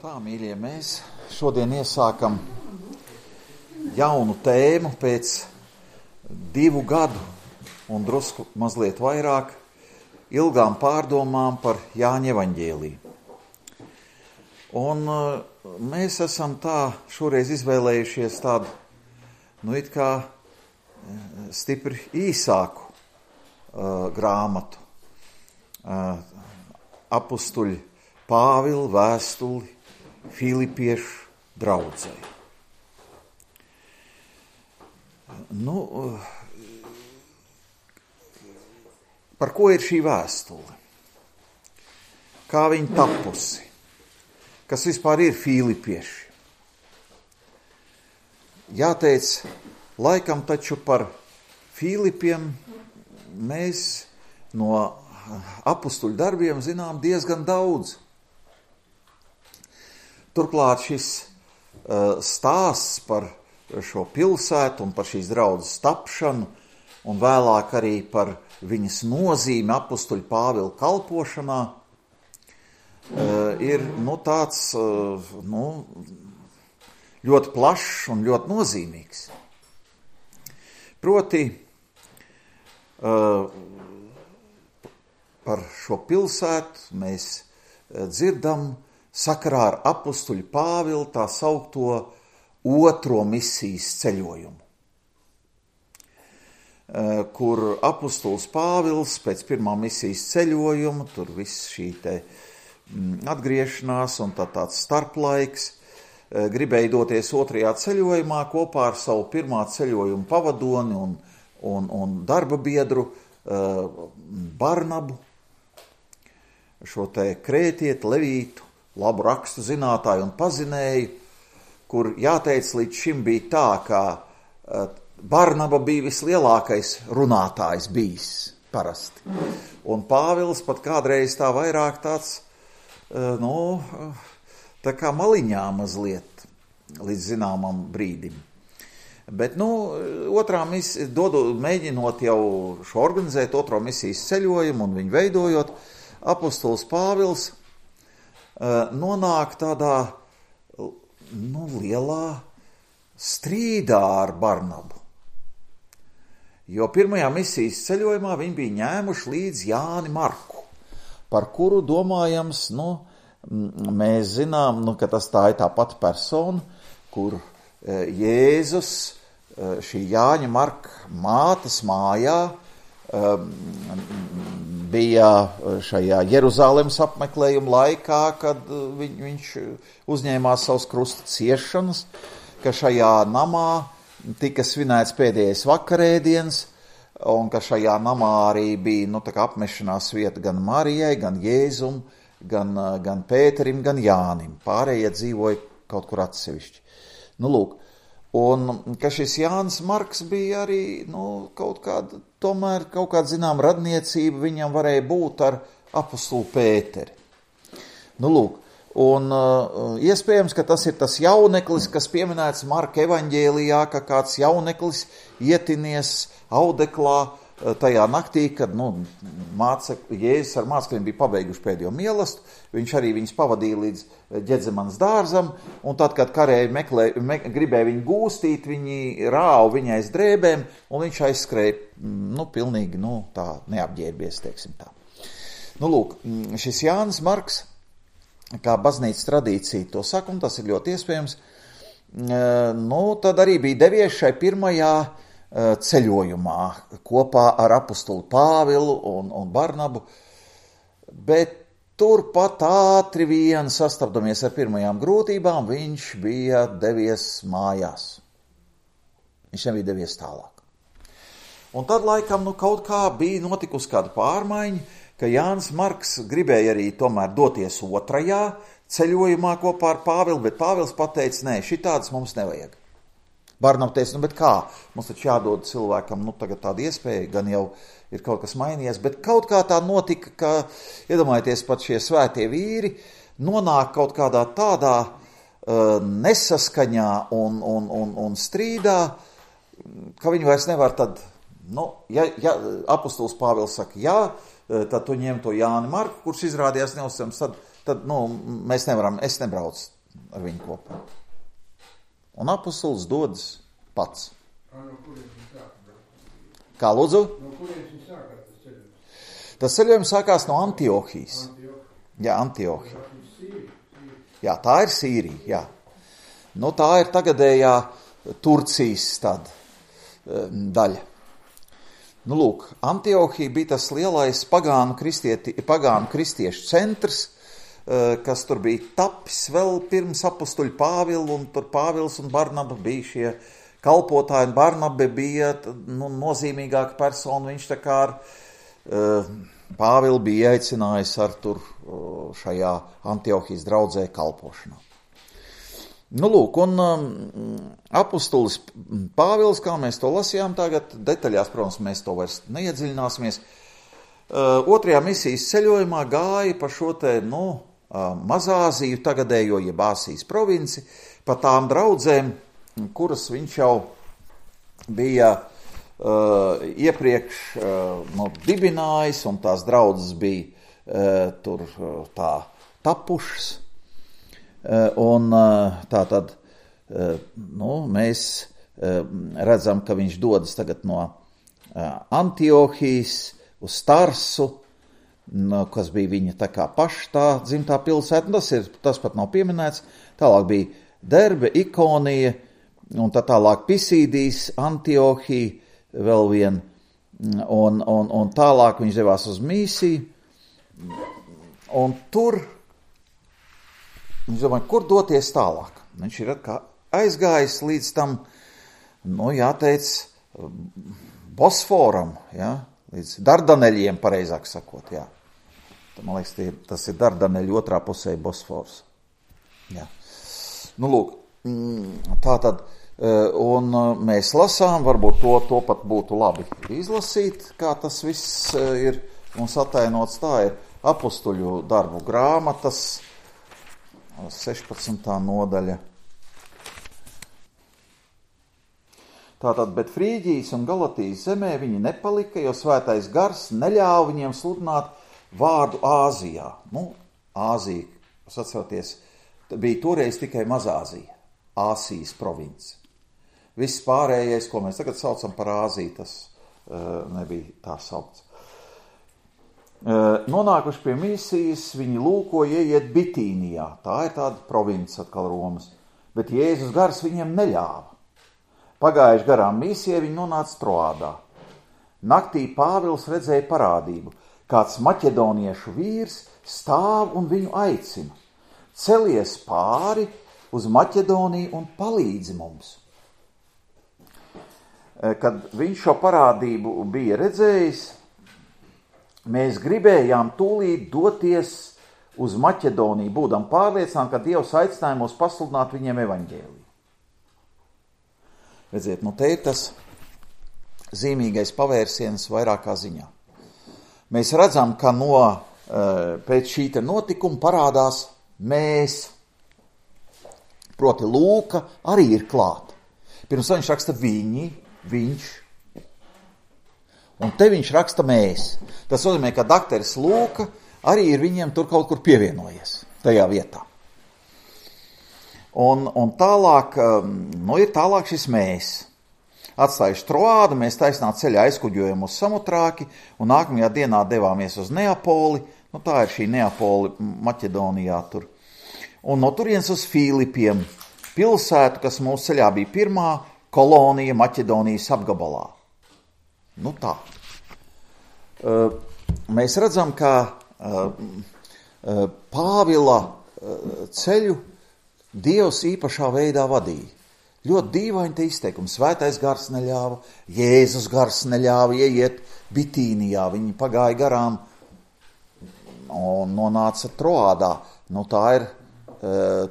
Tā, mīļie, mēs šodien iesākam jaunu tēmu pēc 2 gadu un drusku mazliet vairāk ilgām pārdomām par Jāņa evaņģēliju. Un mēs esam tā šoreiz izvēlējušies tādu, it kā stipri īsāku grāmatu. Apustuļu Pāvila vēstuli Filipiešu draudzei. Par ko ir šī vēstule? Kā viņa tapusi? Kas vispār ir filipieši? Jāteic, laikam taču par Filipiem mēs no apustuļu darbiem zinām diezgan daudz. Turklāt šis stāsts par šo pilsētu un par šīs draudzes tapšanu un vēlāk arī par viņas nozīmi apustuļu Pāvila kalpošanā ir tāds ļoti plašs un ļoti nozīmīgs. Proti par šo pilsētu mēs dzirdam sakarā ar apustuļu Pāvilu tā saukto otro misijas ceļojumu, kur apustulis Pāvils pēc pirmā misijas ceļojuma, tur viss šī te atgriešanās un tāds starplaiks, gribēja doties otrajā ceļojumā kopā ar savu pirmā ceļojuma pavadoni un darba biedru Barnabu, šo te krētieti, levītu, labu rakstu zinātāju un pazinēju, kur jāteic līdz šim bija tā, ka Barnaba bija vislielākais runātājs bijis parasti. Un Pāvils pat kādreiz tā vairāk tāds, tā kā maliņā mazliet līdz zināmam brīdim. Bet, otrā misija, mēģinot jau šo organizēt otro misijas ceļojumu un viņu veidojot, apustulis Pāvils nonāk tādā lielā strīdā ar Barnabu. Jo pirmajā misijas ceļojumā viņi bija ņēmuši līdz Jāni Marku, par kuru domājams, mēs zinām, ka tas tā ir tā pati persona, kur Jēzus šī Jāņa Marka mātes mājā bija šajā Jeruzalemes apmeklējuma laikā, kad viņš uzņēmās savus krusta ciešanas, ka šajā namā tika svinēts pēdējais vakarēdiens, un ka šajā namā arī bija apmešanās vieta gan Marijai, gan Jēzum, gan Pēterim, gan Jānim. Pārējie dzīvoja kaut kur atsevišķi. Un ka šis Jānis Marks bija arī kaut kāda zinām radniecība viņam varēja būt ar apostulu Pēteri. Un iespējams, ka tas ir tas jauneklis, kas pieminēts Marka evaņģēlijā, ka kāds jauneklis ietinies audeklā tajā naktī, kad Jēzus ar mācekļiem bija pabeiguši pēdējo mielastu, viņš arī viņus pavadīja līdz Ģedzemanas dārzam, un tad, kad karēji gribēja viņu gūstīt, viņi rāva viņai aiz drēbēm, un viņš aizskrēja, pilnīgi, tā neapģērbies, teiksim tā. Šis Jānis Marks, kā baznīcas tradīcija to saka, un tas ir ļoti iespējams, tad arī bija devies šai pirmajā ceļojumā kopā ar apustuli Pāvilu un Barnabu, bet turpat ātri vien sastapdamies ar pirmajām grūtībām, viņš bija devies mājās. Viņš nebija devies tālāk. Un tad laikam kaut kā bija notikusi kāda pārmaiņa, ka Jānis Marks gribēja arī tomēr doties otrajā ceļojumā kopā ar Pāvilu, bet Pāvils pateica, nē, šitādas mums nevajag. Barnaba teica, bet kā? Mums taču jādod cilvēkam, tagad tāda iespēja, gan jau ir kaut kas mainījies, bet kaut kā tā notika, ka, iedomājieties, pat šie svētie vīri nonāk kaut kādā tādā nesaskaņā un strīdā, ka viņi vairs nevar tad, ja apustulis Pāvils saka, tad tu ņem to Jāni Marku, kurš izrādījās neuzticams, tad mēs nevaram, es nebraucu ar viņu kopā. Un apostols dodas pats. Kā lūdzu? No kurienes viņš sākās tas ceļojums? Tas ceļojums sākās no Antiohijas. Jā, Antiohija. Jā, tā ir Sīrija, jā. Nu, tā ir tagadējā Turcijas daļa. Nu, lūk, Antiohija bija tas lielais pagānu kristiešu centrs, kas tur bija tapis vēl pirms apustuļu Pāvilu, un tur Pāvils un Barnaba bija šie kalpotāji, un Barnaba bija nozīmīgāka persona, viņš tā kā ar Pāvilu bija aicinājis ar tur šajā Antiohijas draudzē kalpošanā. Nu, lūk, un apustulis Pāvils, kā mēs to lasījām tagad, detaļās, protams, mēs to vairs neiedziļināsimies, otrajā misijas ceļojumā gāja pa šo te, Mazāziju, tagadējo jeb Āsijas provinci, pa tām draudzēm, kuras viņš jau bija iepriekš dibinājis, un tās draudzes bija tur tā tapušas. Un tā tad, mēs redzam, ka viņš dodas tagad no Antiohijas uz Tarsu, kas bija viņa tā kā paša tā dzimtā pilsēta, tas pat nav pieminēts, tālāk bija Derbe, Ikonija, un tālāk Pisīdijas, Antiohija, vēl vien, un tālāk viņš devās uz Mīsiju, un tur viņš domāja, kur doties tālāk. Viņš ir aizgājis līdz tam, jāteic, Bosforam, līdz Dardaneļiem, pareizāk sakot, jā. Man liekas, tas ir Dardaneļu otrā pusē Bosfors. Jā. Nu, lūk, tā tad, un mēs lasām, varbūt to pat būtu labi izlasīt, kā tas viss ir mums atainots. Tā ir apustuļu darbu grāmatas, 16. nodaļa. Tātad, bet Frīģijas un Galatijas zemē viņi nepalika, jo svētais gars neļāva viņiem sludināt vārdu Āzijā. Āzija, jūs atceraties, bija toreiz tikai Mazāzija, Āsijas province. Viss pārējais, ko mēs tagad saucam par Āziju, tas nebija tā saukts. Nonākuši pie misijas, viņi lūkoja ieiet Bitīnijā, tā ir tāda province atkal Romas, bet Jēzus gars viņiem neļāva. Pagājuši garām misijai, viņi nonāca Troādā. Naktī Pāvils redzēja parādību, kāds maķedoniešu vīrs stāv un viņu aicina. Celies pāri uz Maķedoniju un palīdzi mums. Kad viņš šo parādību bija redzējis, mēs gribējām tūlīt doties uz Maķedoniju, būdam pārliecināti, ka Dievs aicināja mūs pasludināt viņiem evaņģēliju. Redziet, te ir tas zīmīgais pavērsiens vairākā ziņā. Mēs redzam, ka pēc šī notikuma parādās mēs, proti Lūka arī ir klāt. Pirms viņš raksta viņi, viņš, un te viņš raksta mēs. Tas nozīmē, ka dakteris Lūka arī ir viņiem tur kaut kur pievienojies tajā vietā. Un tālāk, ir tālāk šis mēs. Atstājuši Troādu, mēs taisnā ceļā aizkuģojam uz Samotrāki, un nākamajā dienā devāmies uz Neapoli, tā ir šī Neapoli Maķedonijā tur. Un no turienes uz Filipiem, pilsētu, kas mūsu ceļā bija pirmā kolonija Maķedonijas apgabalā. Tā. Mēs redzam, ka Pāvila ceļu Dievs īpašā veidā vadīja. Ļoti dīvaini te izteikumi. Svētais gars neļāva, Jēzus gars neļāva ieiet Bitīnijā. Viņi pagāja garām un nonāca Troādā. Tā ir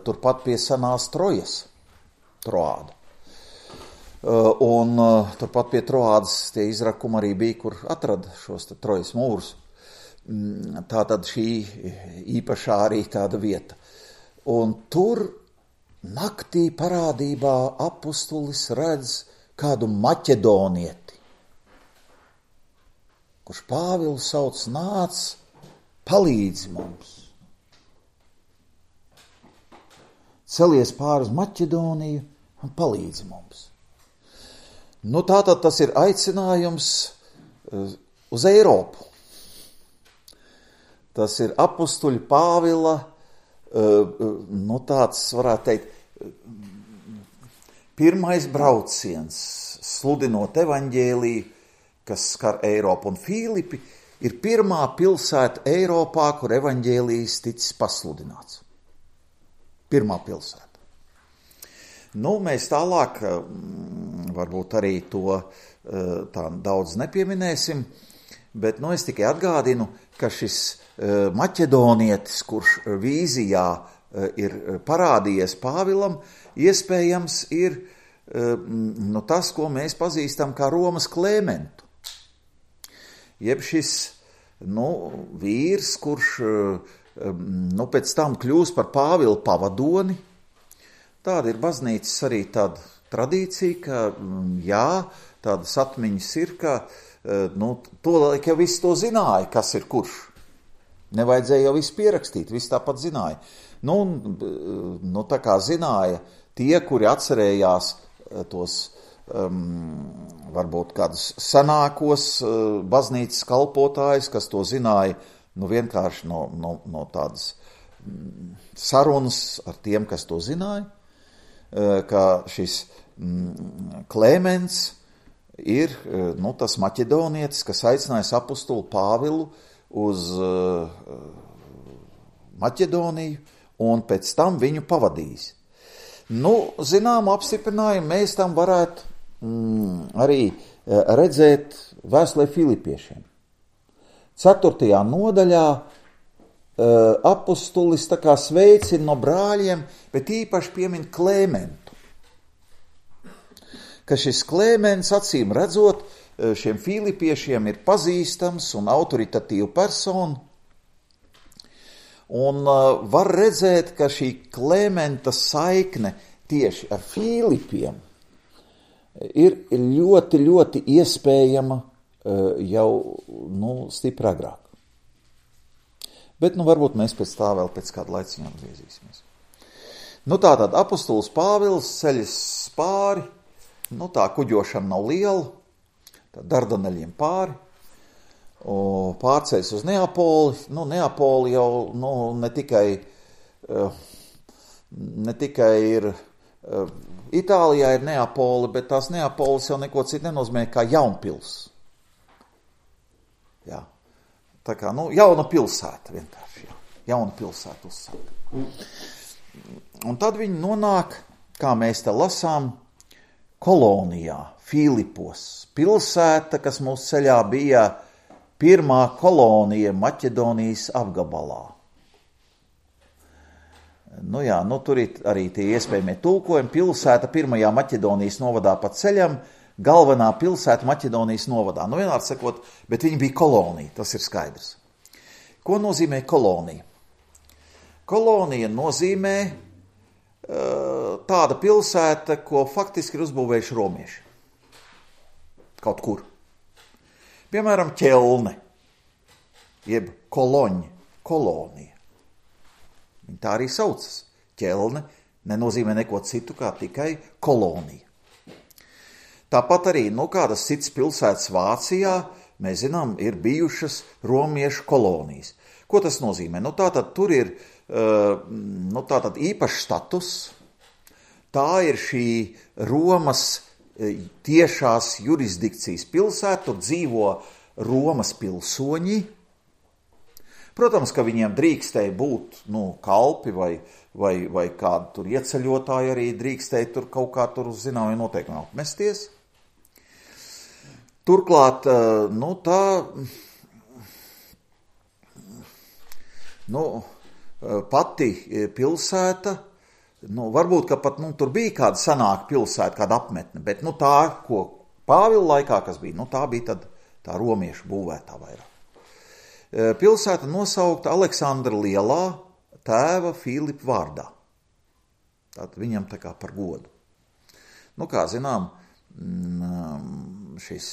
turpat pie senās Trojas. Troāda. Un turpat pie Troādas tie izrakumi arī bija, kur atrada šos Trojas mūrus. Tā tad šī īpašā arī tāda vieta. Un tur naktī parādībā apustulis redz kādu maķedonieti, kurš Pāvilu sauc, nāc, palīdzi mums. celies pāri uz Maķedoniju un palīdzi mums. Nu, tātad tas ir aicinājums uz Eiropu. Tas ir apustuļa Pāvila, nu tāds, varētu teikt, pirmais brauciens, sludinot evaņģēliju, kas skar Eiropu. Un Filipi ir pirmā pilsēta Eiropā, kur evaņģēlijs ticis pasludināts. Pirmā pilsēta. Nu, mēs tālāk varbūt arī to tā daudz nepieminēsim, bet nu, es tikai atgādinu, ka šis maķedonietis, kurš vīzijā ir parādījies Pāvilam, iespējams ir nu, tas, ko mēs pazīstam kā Romas Klēmentu. Jeb šis vīrs, kurš pēc tam kļūs par Pāvila pavadoni. Tāda ir baznīcas arī tāda tradīcija, ka jā, tādas atmiņas ir, ka tolaik jau viss to zināja, kas ir kurš. Nevajadzēja jau visu pierakstīt, viss tāpat zināja. Tā kā zināja tie, kuri atcerējās tos varbūt kādus senākos baznīcas kalpotājus, kas to zināja vienkārši no tādas sarunas ar tiem, kas to zināja, ka šis Klēmens ir tas maķedonietis, kas aicinājis apostulu Pāvilu uz Maķedoniju un pēc tam viņu pavadījis. Zinām apstiprinājumu mēs tam varētu arī redzēt vēstulē Filipiešiem. 4. nodaļā apostulis tā kā sveicina no brāļiem, bet īpaši piemin Klēmentu. Ka šis Klēmens, acīm redzot, šiem Filipiešiem ir pazīstams un autoritatīva persona. Un var redzēt, ka šī Klēmenta saikne tieši ar Filipiem ir ļoti, ļoti iespējama jau stipri agrāk. Bet varbūt mēs pēc tā vēl pēc kāda laiciņa atgriezīsimies. Tātad apostols Pāvils ceļas pāri, tā kuģošana nav liela, tā Dardaneļiem pāri, pārceļas uz Neapoli. Neapoli jau ne tikai ir Itālijā ir Neapoli, bet tās Neapolis jau neko citu nenozīmē kā jaunpils. Jā. Tā kā, jauna pilsēta vienkārši, jā. Jauna pilsēta uzsāka. Un tad viņi nonāk, kā mēs te lasām, kolonijā, Filipos. Pilsēta, kas mūsu ceļā bija pirmā kolonija Maķedonijas apgabalā. Tur ir arī tie iespējamie tulkojumi. Pilsēta pirmajā Maķedonijas novadā pa ceļam, galvenā pilsēta Maķedonijas novadā. Vienmēr sakot, bet viņi bija kolonija, tas ir skaidrs. Ko nozīmē kolonija? Kolonija nozīmē tāda pilsēta, ko faktiski ir uzbūvējuši romieši. Kaut kur. Piemēram, Ķelne, jeb Koloņa, kolonija. Viņa tā arī saucas. Ķelne nenozīmē neko citu kā tikai kolonija. Tāpat arī, kādas citas pilsētas Vācijā, mēs zinām, ir bijušas romiešu kolonijas. Ko tas nozīmē? Tātad tur ir tātad īpašs status. Tā ir šī Romas tiešās jurisdikcijas pilsēta, tur dzīvo Romas pilsoņi. Protams, ka viņiem drīkstēja būt kalpi vai kādu tur ieceļotāji arī drīkstēja tur kaut kā tur uz zināmiem noteikumiem apmesties. Turklāt, pati pilsēta, varbūt, ka pat tur bija kāda senāka pilsēta, kāda apmetne, bet tā, ko Pāvila laikā, kas bija, tā bija tad tā romiešu būvētā vairāk. Pilsēta nosaukta Aleksandra Lielā tēva Filipa vārdā. Tātad viņam tā kā par godu. Kā zinām, šis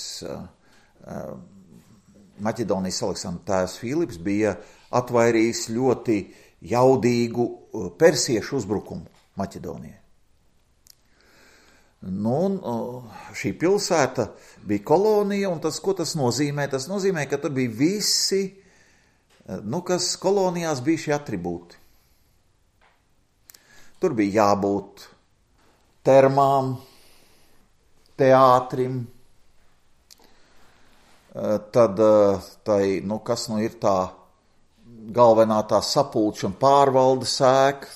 Maķedonijas Aleksandra tēvs Filips bija atvairījis ļoti jaudīgu persiešu uzbrukumu Maķedonijai. Nu, un šī pilsēta bija kolonija, un ko tas nozīmē? Tas nozīmē, ka tur bija visi, kas kolonijās bija šie atribūti. Tur bija jābūt termām, teātrim, tad kas ir tā galvenā tā sapulču un pārvaldes ēka,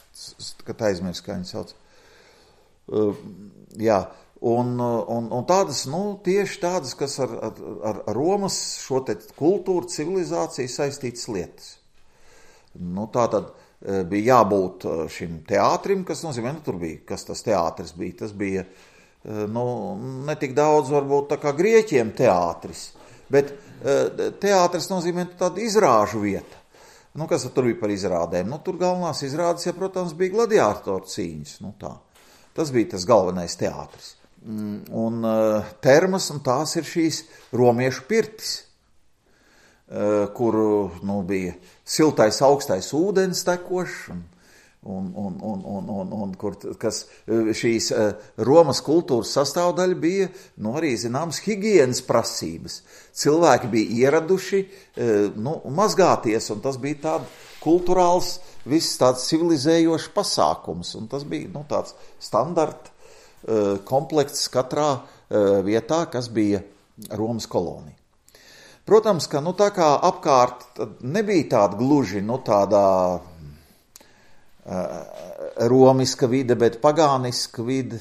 kad aizmirst, kā viņi sauc. Jā, un tādas, tieši tādas, kas ar Romas šo te kultūru, civilizāciju saistītas lietas. Tātad bija jābūt šim teātrim, kas nozīmē, tur bija, kas tas teātris bija. Tas bija, ne tik daudz varbūt tā kā grieķiem teātris, bet teātris nozīmē tādu izrāžu vieta. Kas tur bija par izrādēm? Tur galvenās izrādes, protams, bija gladiātoru cīņas, tā. Tas bija tas galvenais teātris. Un termas, un tās ir šīs romiešu pirtis, kur bija siltais, augstais ūdens tekošs, un kas šīs Romas kultūras sastāvdaļa bija, arī zināmas higienas prasības. Cilvēki bija ieraduši, mazgāties, un tas bija tāds kulturāls, viss tāds civilizējošs pasākums, un tas bija tāds standarta komplekts katrā vietā, kas bija Romas kolonija. Protams, ka tā kā apkārt nebija tāda gluži tādā romiska vide, bet pagāniska vide,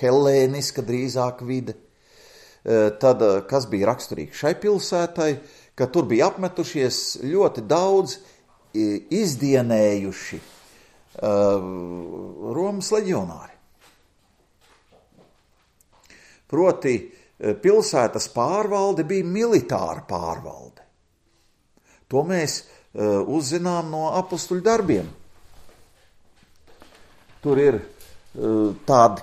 hellēniska drīzāk vide. Tad, kas bija raksturīgi šai pilsētai, ka tur bija apmetušies ļoti daudz izdienējuši Romas leģionāri. Proti, pilsētas pārvalde bija militāra pārvalde. To mēs uzzinām no apustuļu darbiem. Tur ir tādi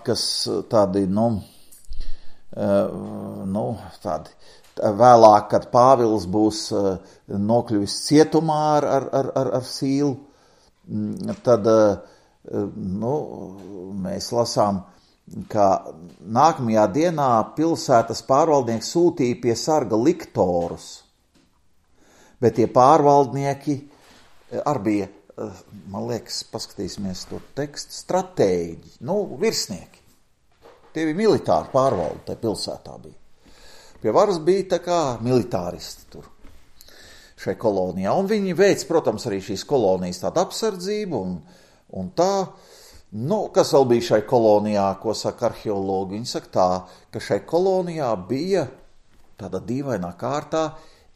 vēlāk, kad Pāvils būs nokļuvis cietumā ar Sīlu, tad mēs lasām, ka nākamajā dienā pilsētas pārvaldnieks sūtīja pie sarga liktorus, bet tie pārvaldnieki arī bija, man liekas, paskatīsimies to tekstu, stratēģi, virsnieki. Tie bija militāri pārvaldi, tai pilsētā bija. Pie varas bija tā kā militāristi tur šai kolonijā. Un viņi veic, protams, arī šīs kolonijas tādu apsardzību un tā. Kas vēl bija šai kolonijā, ko saka arheologi? Viņi saka tā, ka šai kolonijā bija tādā dīvainā kārtā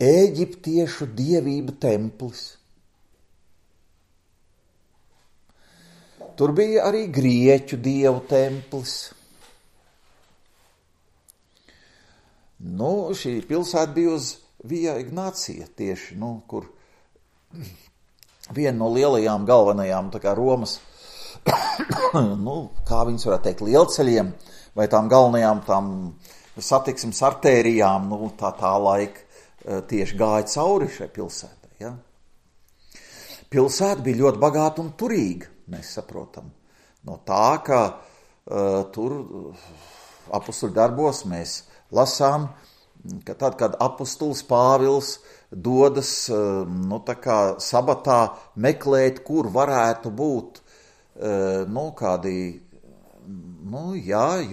ēģiptiešu dievību templis. Tur bija arī grieķu dievu templis. Šī pilsēta bija uz Via Ignācija tieši, kur viena no lielajām galvenajām, tā kā Romas, kā viņas varētu teikt, lielceļiem, vai tām galvenajām tām satiksmes artērijām, tā laika tieši gāja cauri šai pilsētai, ja? Pilsēta bija ļoti bagāta un turīga, mēs saprotam. No tā, ka tur apustuļu darbos mēs lasām, ka tad, kad apustulis Pāvils dodas sabatā meklēt, kur varētu būt kādi,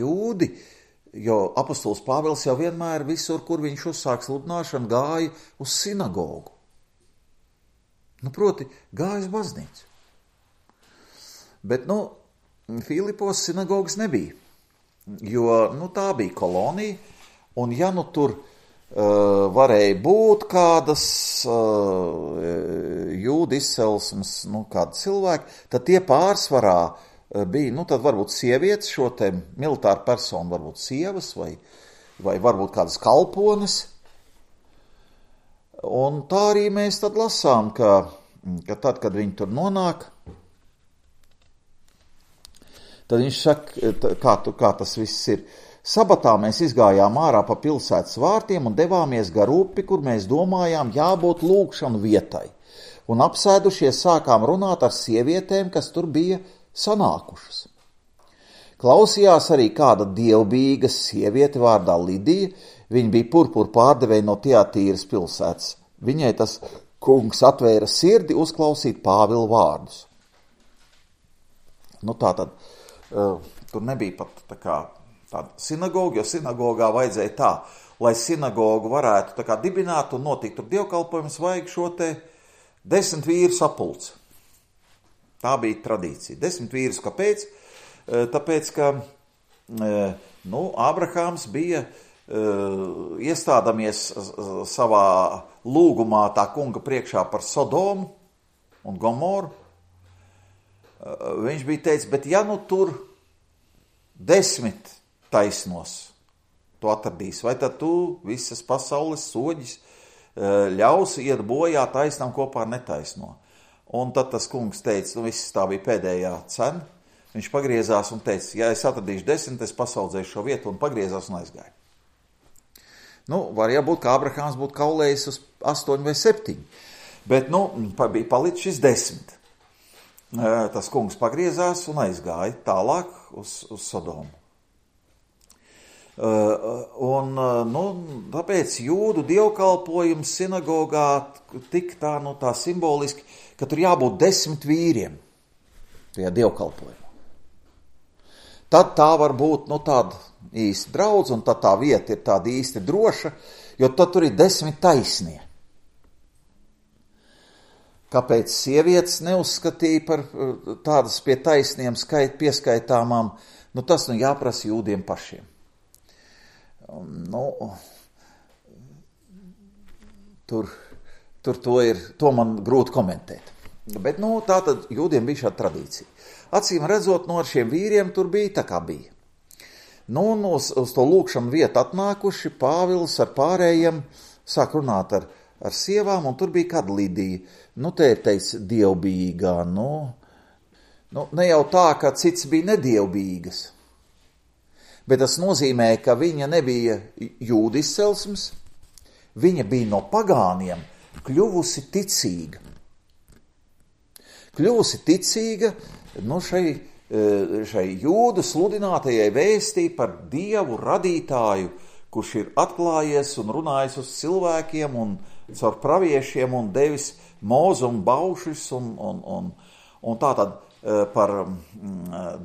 jūdi, jo apustulis Pāvils jau vienmēr visur, kur viņš uzsāk sludināšanu, gāja uz sinagogu. Proti, gāja uz baznīcu. Bet, Filipos sinagogas nebija, jo, tā bija kolonija, un ja tur varēja būt kādas jūdu izcelsmes, kādi cilvēki, tad tie pārsvarā bija, tad varbūt sievietes, šo te militāru personu, varbūt sievas vai varbūt kādas kalpones. Un tā arī mēs tad lasām, ka tad, kad viņi tur nonāk, tad viņš saka, kā tas viss ir. Sabatā mēs izgājām ārā pa pilsētas vārtiem un devāmies gar upi, kur mēs domājām jābūt lūgšanu vietai. Un apsēdušies sākām runāt ar sievietēm, kas tur bija sanākušas. Klausījās arī kāda dievbijīga sieviete vārdā Lidija, viņa bija purpura pārdevēja no Tiatīras pilsētas. Viņai tas kungs atvēra sirdi uzklausīt Pāvila vārdus. Nu tātad, tur nebija pat tāda sinagoga, jo sinagogā vajadzēja tā, lai sinagogu varētu dibināt un notikt tur dievkalpojums, vajag šo te 10 vīru sapulci. Tā bija tradīcija. 10 vīrus, kāpēc? Tāpēc, ka Ābrahāms bija iestādamies savā lūgumā tā kunga priekšā par Sodomu un Gomoru. Viņš bija teicis, bet ja tur 10 taisnos tu atradīsi, vai tad tu visas pasaules soģis ļausi iet bojā taisnām kopā ar netaisno. Un tad tas kungs teica, viss tā bija pēdējā cena. Viņš pagriezās un teica, ja es atradīšu 10, es pasaudzēšu šo vietu, un pagriezās un aizgāja. Var jābūt, ka Ābrahāms būtu kaulējis uz 8 vai 7, bet, bija palicis šis 10. Tas kungs pagriezās un aizgāja tālāk uz Sodomu. Tāpēc jūdu dievkalpojums sinagogā tik tā simboliski, ka tur jābūt 10 vīriem tajā dievkalpojumā. Tad tā var būt tāda īsta draudz, un tad tā vieta ir tāda īsti droša, jo tad tur ir 10 taisnie. Kāpēc sievietes neuzskatīja par tādas pie taisniem pieskaitāmām, tas jāprasa jūdiem pašiem. To man grūti komentēt. Bet, tātad jūdiem bija šāda tradīcija. Acīm redzot, ar šiem vīriem tur bija tā kā bija. Uz to lūkšanu vietu atnākuši Pāvils ar pārējiem sāk runāt ar sievām, un tur bija kāda Lidija. Te ir teicis dievbijīgā, ne jau tā, ka cits bija nedievbijīgas. Bet tas nozīmē, ka viņa nebija jūdu izcelsmes, viņa bija no pagāniem kļuvusi ticīga. Kļuvusi ticīga šai jūdu sludinātajai vēstī par Dievu radītāju, kurš ir atklājies un runājis uz cilvēkiem un caur praviešiem un devis mozu un baušus un tātad par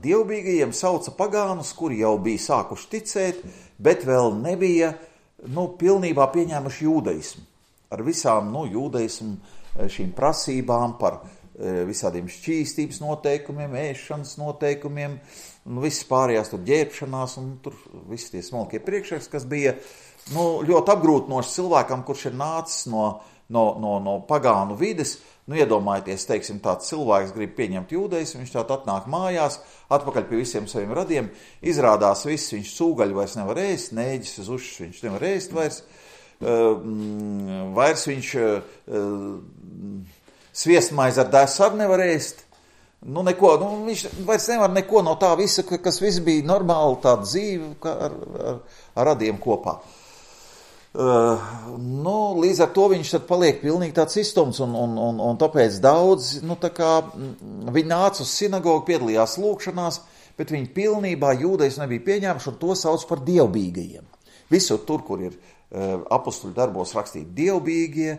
dievbijīgajiem sauca pagānus, kuri jau bija sākuši ticēt, bet vēl nebija pilnībā pieņēmuši jūdaismu. Ar visām jūdaismu šīm prasībām par visādiem šķīstības noteikumiem, ēšanas noteikumiem, viss pārējās tur ģērbšanās un tur visi tie smalkie priekšraks, kas bija ļoti apgrūtinoši cilvēkam, kurš ir nācis no pagānu vides. Iedomājieties, teiksim, tāds cilvēks grib pieņemt jūdaismu, viņš tātad atnāk mājās, atpakaļ pie visiem saviem radiem, izrādās viss, viņš sūgaļu vairs nevar ēst, nēģis uz ušas viņš nevar ēst vairs viņš sviestmaizi ar dēsu arī nevar ēst. Viņš vairs nevar neko no tā visa, kas viss bija normāli tāda dzīve ar radiem kopā. Līdz ar to viņš tad paliek pilnīgi tāds izstums, un tāpēc daudz, viņi nāca uz sinagogu, piedalījās lūkšanās, bet viņi pilnībā jūdaismu nebija pieņēmuši, un to sauc par dievbijīgajiem. Visur tur, kur ir apostuļu darbos rakstīti dievbijīgie,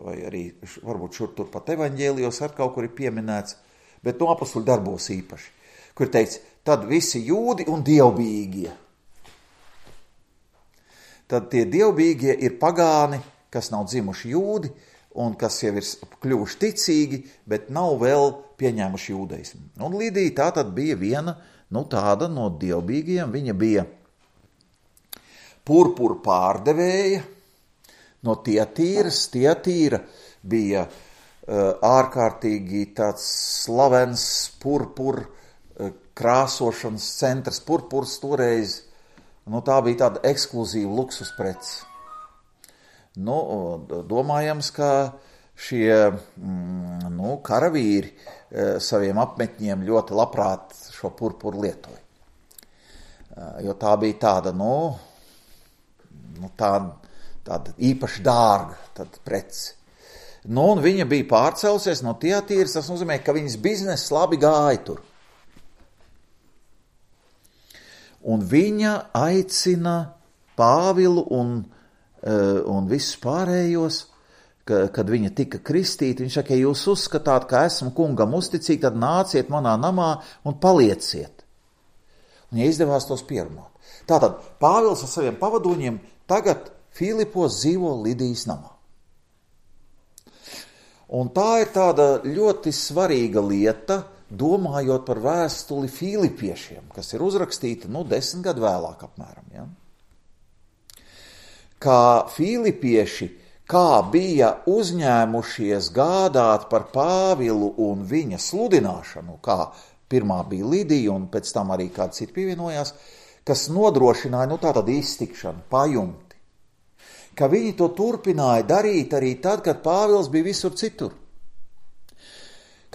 vai arī varbūt šur tur pat evaņģēlijos ar kaut kur ir pieminēts, bet no apostuļu darbos īpaši, kur teica, tad visi jūdi un dievbijīgie. Tad tie dievbijīgie ir pagāni, kas nav dzimuši jūdi un kas jau ir kļuvuši ticīgi, bet nav vēl pieņēmuši jūdaismu. Un Lidija tā tad bija viena, tāda no dievbijīgiem, viņa bija purpura pārdevēja no Tiatīras. Tiatīra bija ārkārtīgi tāds slavens purpura krāsošanas centrs. Purpurs toreiz, tā bija tāda ekskluzīva luksus prece. Domājams, ka šie karavīri saviem apmetņiem ļoti labprāt šo purpuru lietoja. Jo tā bija tāda, tāda īpaši dārga prece. Un viņa bija pārcelsies no Tiatīras, tas nozīmē, ka viņas bizness labi gāja tur. un viņa aicina Pāvilu un visus pārējos, kad viņa tika kristīta, viņš saka, ja jūs uzskatāt, ka esmu kungam uzticīgi, tad nāciet manā namā un palieciet. Un ja izdevās tos pierunāt. Tātad Pāvils ar saviem pavadoņiem tagad Filipos dzīvo Lidijas namā. Un tā ir tāda ļoti svarīga lieta, domājot par vēstuli Filipiešiem, kas ir uzrakstīta 10 gadu vēlāk apmēram. Ja? Kā Filipieši, kā bija uzņēmušies gādāt par Pāvilu un viņa sludināšanu, kā pirmā bija Lidija un pēc tam arī kāds cits pievienojās, kas nodrošināja tātad iztikšanu, pajumti. Ka viņi to turpināja darīt arī tad, kad Pāvils bija visur citur.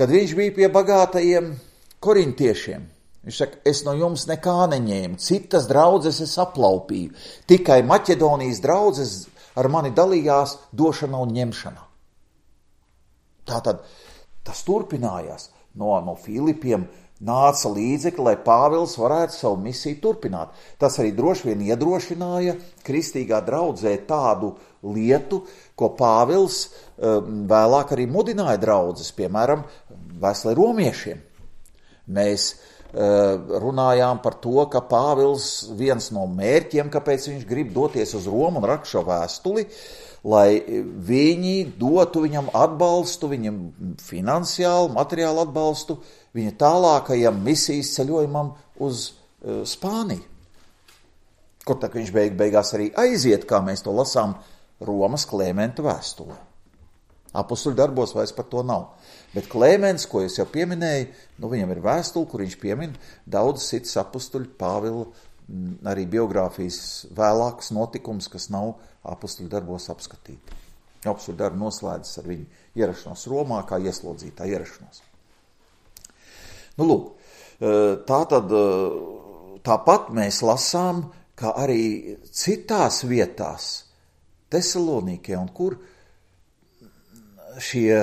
Kad viņš bija pie bagātajiem korintiešiem. Viņš saka, es no jums nekā neņēmu, citas draudzes es aplaupīju, tikai Maķedonijas draudzes ar mani dalījās došanā un ņemšanā. Tātad tas turpinājās. No Filipiem nāca līdzekļi, lai Pāvils varētu savu misiju turpināt. Tas arī droši vien iedrošināja kristīgā draudzē tādu lietu, ko Pāvils vēlāk arī mudināja draudzes, piemēram, vēstulē romiešiem. Mēs runājām par to, ka Pāvils viens no mērķiem, kāpēc viņš grib doties uz Romu un rakst šo vēstuli, lai viņi dotu viņam atbalstu, viņam finansiālu, materiālu atbalstu, viņa tālākajam misijas ceļojumam uz Spāniju. Kur tā viņš beigās arī aiziet, kā mēs to lasām Romas Klementa vēstulē. Apostuļu darbos vairs par to nav. Bet Klemens, ko es jau pieminēju, viņam ir vēstule, kur viņš piemin daudz cits apostuļu Pāvila arī biogrāfijas vēlākas notikums, kas nav apostuļu darbos apskatīti. Apostuļu darbi noslēdzas ar viņu ierašanos Romā, kā ieslodzītā ierašanos. Lūk, tāpat mēs lasām, ka arī citās vietās, Tesalonīkē un kur šie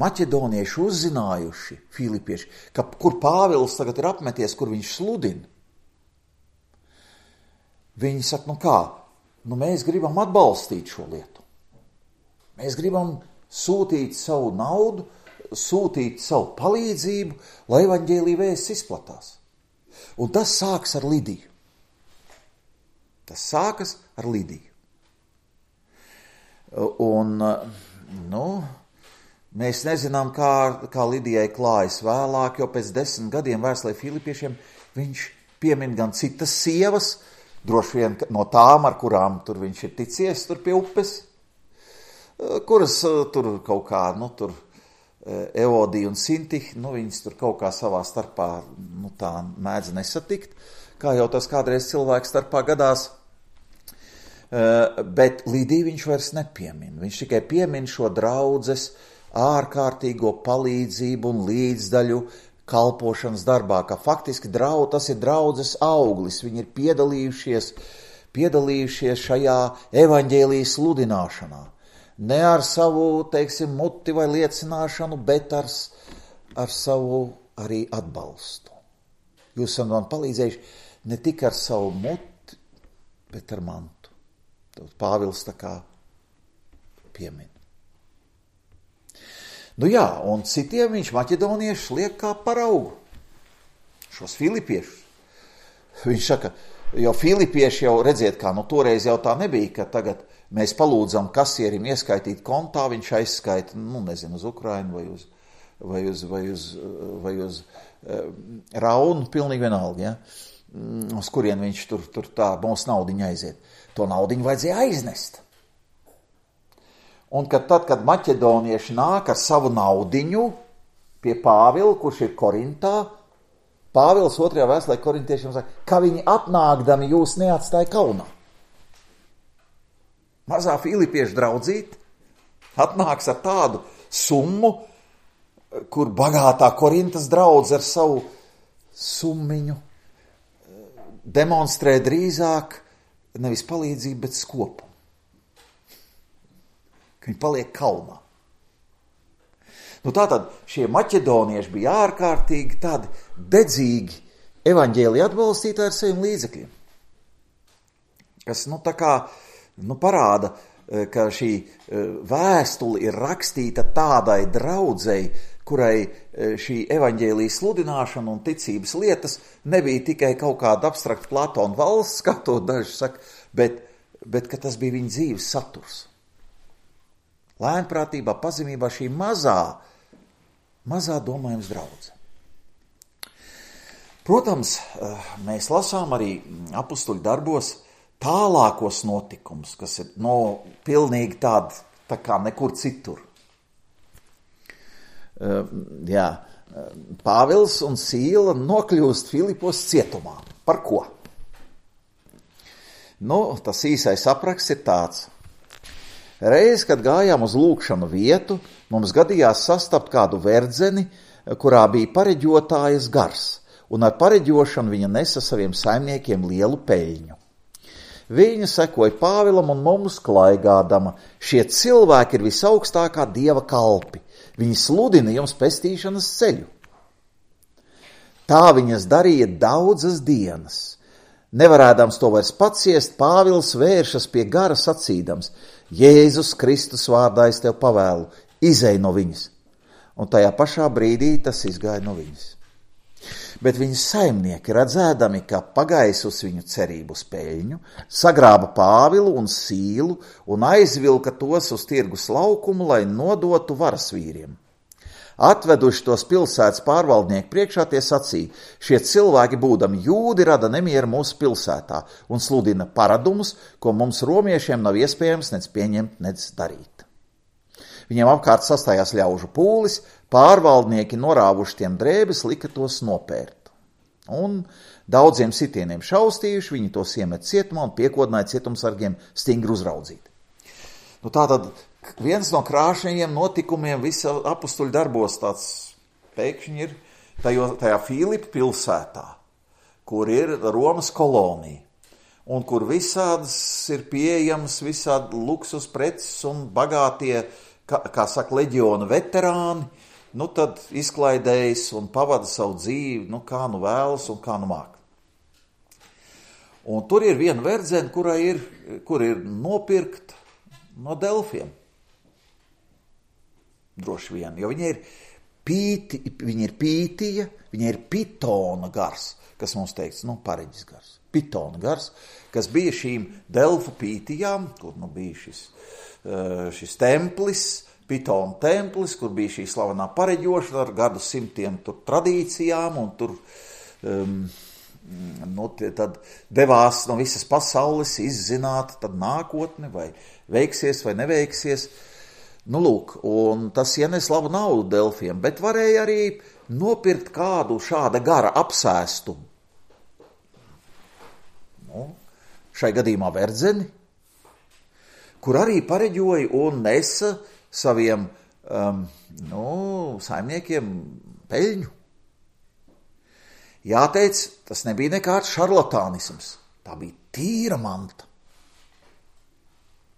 maķedonieši uzzinājuši, filipieši, kur Pāvils tagad ir apmeties, kur viņš sludina. Viņi saka, mēs gribam atbalstīt šo lietu. Mēs gribam sūtīt savu naudu, sūtīt savu palīdzību, lai evaņģēlija vēsts izplatās. Un tas sākas ar Lidiju. Un, mēs nezinām, kā Lidijai klājas vēlāk, jo pēc 10 gadiem vēstulē Filipiešiem viņš piemin gan citas sievas, droši vien no tām, ar kurām tur viņš ir ticies tur pie upes, kuras tur kaut kā, Evodija un Sintiha, viņas tur kaut kā savā starpā, tā mēdz nesatikt, kā jau tas kādreiz cilvēks starpā gadās, bet Lidiju viņš vairs nepiemin. Viņš tikai piemin šo draudzes ārkārtīgo palīdzību un līdzdaļu kalpošanas darbā, ka faktiski tas ir draudzes auglis. Viņi ir piedalījušies šajā evaņģēlijas sludināšanā. Ne ar savu, muti vai liecināšanu, bet ar savu arī atbalstu. Jūs esat man palīdzējuši ne tikai ar savu muti, bet ar mantu. Pāvils tā kā piemin. Un citiem viņš maķedonieši liek kā paraugu. Šos filipiešus. Viņš saka, jo filipieši jau redziet, kā toreiz jau tā nebija, ka tagad mēs palūdzam kasierim ieskaitīt kontā, viņš aizskaita, uz Ukrainu vai uz Raunu, pilnīgi vienalga, ja? Uz kurien viņš tur tā mūsu naudiņa aiziet. To naudiņu vajadzēja aiznest. Un tad, kad maķedonieši nāk ar savu naudiņu pie Pāvila, kurš ir Korintā, Pāvils 2. vēstulē korintiešiem saka, ka viņi atnākdami jūs neatstāja kaunā. Mazā filipiešu draudzīte atnāks ar tādu summu, kur bagātā Korintas draudze ar savu summiņu demonstrē drīzāk nevis palīdzību, bet skopu. Ka viņi paliek kaunā. Tātad šie maķedonieši bija ārkārtīgi tādi dedzīgi evaņģēlija atbalstītāji ar saviem līdzekļiem. Kas, tā kā, parāda, ka šī vēstule ir rakstīta tādai draudzei, kurai šī evaņģēlija sludināšana un ticības lietas nebija tikai kaut kāda abstrakta Platona valsts, kā to daži saka, bet ka tas bija viņa dzīves saturs. Lēnprātībā, pazemībā šī mazā domājums draudze. Protams, mēs lasām arī apustuļu darbos tālākos notikumus, kas ir pilnīgi tādi, tā kā nekur citur. Pāvils un Sīla nokļūst Filipos cietumā. Par ko? Tas īsais apraksts ir tāds. Reiz, kad gājām uz lūgšanu vietu, mums gadījās sastapt kādu verdzeni, kurā bija pareģotājas gars, un ar pareģošanu viņa nesa saviem saimniekiem lielu peļņu. Viņa sekoja Pāvilam un mums klaigādama. Šie cilvēki ir visaugstākā dieva kalpi. Viņi sludina jums pestīšanas ceļu. Tā viņas darīja daudzas dienas. Nevarēdams to vairs paciest, Pāvils vēršas pie gara sacīdams: Jēzus Kristus vārdā es tev pavēlu, izej no viņas. Un tajā pašā brīdī tas izgāja no viņas. Bet viņas saimnieki, redzēdami, ka pagaisus viņu cerību uz peļņu, sagrāba Pāvilu un Sīlu un aizvilka tos uz tirgus laukumu, lai nodotu varas vīriem. Atveduši tos pilsētas pārvaldnieku priekšā, tie sacīja: šie cilvēki, būdami jūdi, rada nemieru mūsu pilsētā un sludina paradumus, ko mums romiešiem nav iespējams nec pieņemt, nec darīt. Viņiem apkārt sastājās ļaužu pūlis, pārvaldnieki norāvuši tiem drēbes, lika tos nopērt. Un daudziem sitieniem šaustījuši, viņi tos iemet cietumā un piekodināja cietumsargiem stingri uzraudzīt. Tātad viens no krāšņajiem notikumiem visa apustuļu darbos tāds pēkšņi ir tajā Filipu pilsētā, kur ir Romas kolonija, un kur visādas ir pieejams, visādi luksus preces un bagātie, kā saka, leģiona veterāni, tad izklaidējas un pavada savu dzīvi, kā vēlas un kā māk. Un tur ir viena verdzene, kur ir nopirkta no Delfiem. Droši vien, jo viņa ir pītija, viņa ir pitona gars, kas mums teikts, pareģis gars. Pitona gars, kas bija šīm Delfu pītijām, kur bija šis templis, Pitona templis, kur bija šī slavenā pareģošana ar gadu simtiem tradīcijām, un tur tad devās no visas pasaules izzināt tad nākotni, vai veiksies vai neveiksies. Un tas ienes labu naudu Delfiem, bet varēja arī nopirkt kādu šāda gara apsēstu. Šai gadījumā verdzeni, kur arī pareģoja un nesa saviem saimniekiem peļņu. Jāteic, tas nebija nekāds šarlatānisms, tā bija tīra manta.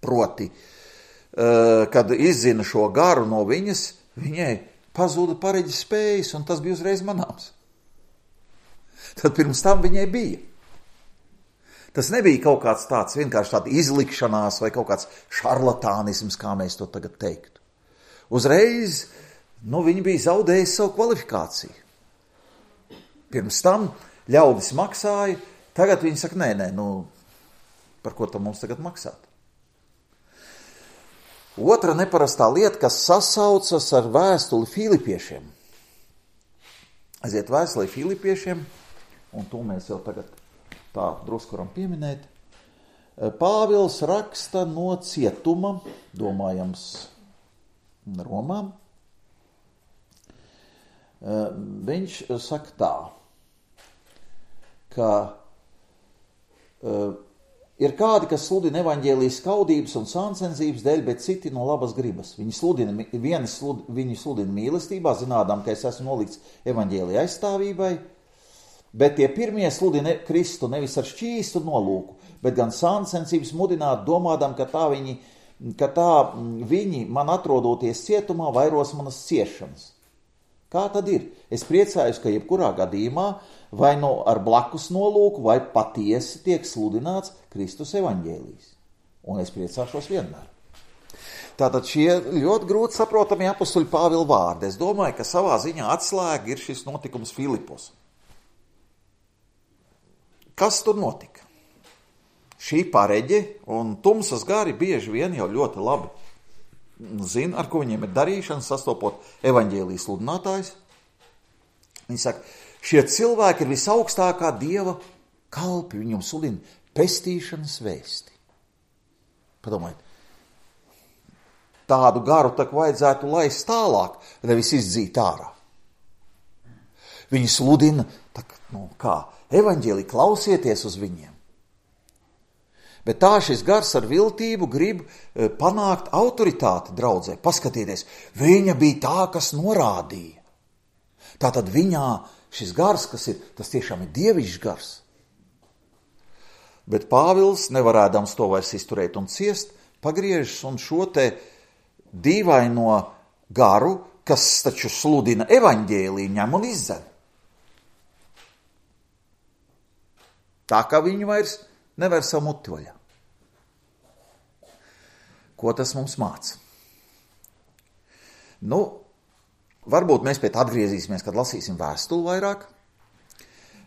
Proti, kad izzina šo garu no viņas, viņai pazuda pareģis spējas, un tas bija uzreiz manāms. Tad pirms tam viņai bija. Tas nebija kaut kāds tāds vienkārši tāda izlikšanās vai kaut kāds šarlatānisms, kā mēs to tagad teiktu. Uzreiz, viņi bija zaudējuši savu kvalifikāciju. Pirms tam ļaudis maksāja, tagad viņi saka, nē, par ko tam mums tagad maksāt? Otra neparastā lieta, kas sasaucas ar vēstuli Filipiešiem. Aiziet vēstulē Filipiešiem, un to mēs jau tagad tā drusku varam pieminēt. Pāvils raksta no cietuma, domājams, Romā. Viņš saka tā, ka ir kādi, kas sludina evaņģēlijas skaudības un sāncensības dēļ, bet citi no labas gribas. Viņi sludina mīlestībā, zinādām, ka es esmu nolikts evaņģēlija aizstāvībai, bet tie pirmie sludina Kristu nevis ar šķīstu nolūku, bet gan sāncensības mudināt, domādam, ka tā viņi man atrodoties cietumā vairos manas ciešanas. Kā tad ir? Es priecājos, ka jebkurā gadījumā vai no ar blakus nolūku, vai patiesi tiek sludināts Kristus evaņģēlijs. Un es priecāšos vienmēr. Tātad šie ļoti grūti saprotamie apustuļa Pāvila vārdi. Es domāju, ka savā ziņā atslēga ir šis notikums Filipos. Kas tur notika? Šī pareģe un tumsas gari bieži vien jau ļoti labi zina, ar ko viņiem ir darīšana, sastopot evaņģēlijas sludinātājs. Viņi saka, šie cilvēki ir visaugstākā Dieva kalpi, viņam sludina pestīšanas vēsti. Padomājiet, tādu garu tak vajadzētu laist tālāk, nevis izdzīt ārā. Viņi sludina, evaņģēlija, klausieties uz viņiem. Bet tā šis gars ar viltību grib panākt autoritāti draudzē. Paskatieties, viņa bija tā, kas norādīja. Tātad viņā šis gars, kas ir, tas tiešām ir dievišķs gars. Bet Pāvils, nevarēdams to vairs izturēt un ciest, pagriežas un šo te dīvaino garu, kas taču sludina evaņģēliju, ņem un izdzen. Tā kā viņu vairs nevar savu muti vaļā. Ko tas mums māca? Varbūt mēs pie tā atgriezīsimies, kad lasīsim vēstuli vairāk,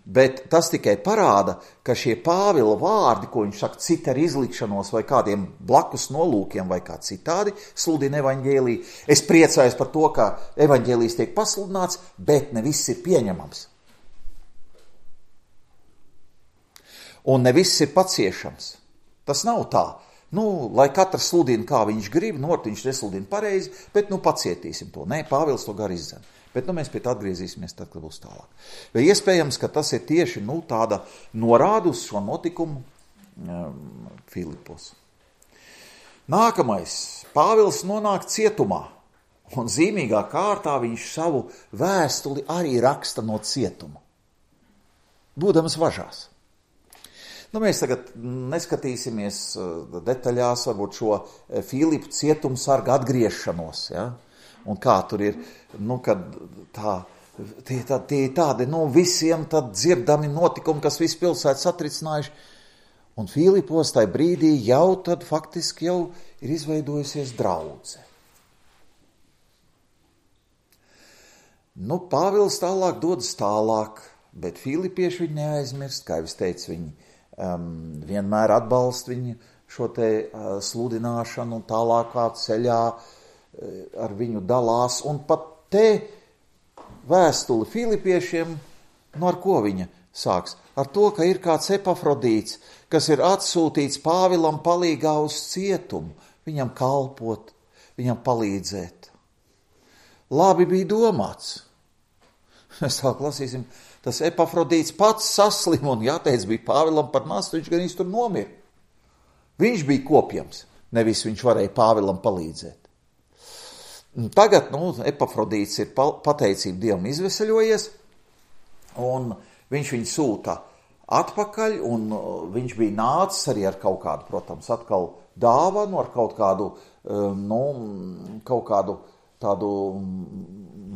bet tas tikai parāda, ka šie Pāvila vārdi, ko viņš saka, cita ar izlikšanos vai kādiem blakus nolūkiem vai kā citādi, sludina evaņģēliju. Es priecājos par to, ka evaņģēlijs tiek pasludināts, bet ne viss ir pieņemams. Un ne viss ir paciešams. Tas nav tā. Lai katrs sludina, kā viņš grib, viņš nesludina pareizi, bet pacietīsim to. Nē, Pāvils to gar izdzen. Bet mēs pie tā atgriezīsimies tad, kad būs tālāk. Vai iespējams, ka tas ir tieši tāda norāda uz šo notikumu Filipos. Nākamais. Pāvils nonāk cietumā. Un zīmīgā kārtā viņš savu vēstuli arī raksta no cietuma. Būdams važās. Mēs tagad neskatīsimies detaļās varbūt šo Filipu cietumsarga atgriešanos, ja? Un kā tur ir, kad tie tādi, visiem tad dzirdami notikumi, kas visu pilsētu satricinājuši. Un Filipos tajā brīdī jau tad faktiski jau ir izveidojusies draudze. Pāvils tālāk dodas tālāk, bet filipieši viņi neaizmirst, kā jau es teicu, viņi vienmēr atbalsta viņu šo te sludināšanu un tālākā ceļā ar viņu dalās. Un pat te vēstuli filipiešiem, ar ko viņa sāks? Ar to, ka ir kāds Epafrodīts, kas ir atsūtīts Pāvilam palīgā uz cietumu, viņam kalpot, viņam palīdzēt. Labi bija domāts. Mēs tā lasīsim. Tas Epafrodīts pats saslim un jāteic bija Pāvilam par nastu, viņš gan īsti tur nomira. Viņš bija kopjams, nevis viņš varēja Pāvilam palīdzēt. Tagad, Epafrodīts ir pateicību Dievam izveseļojies, un viņš viņu sūta atpakaļ, un viņš bija nācis arī ar kaut kādu, protams, atkal dāvanu, ar kaut kādu tādu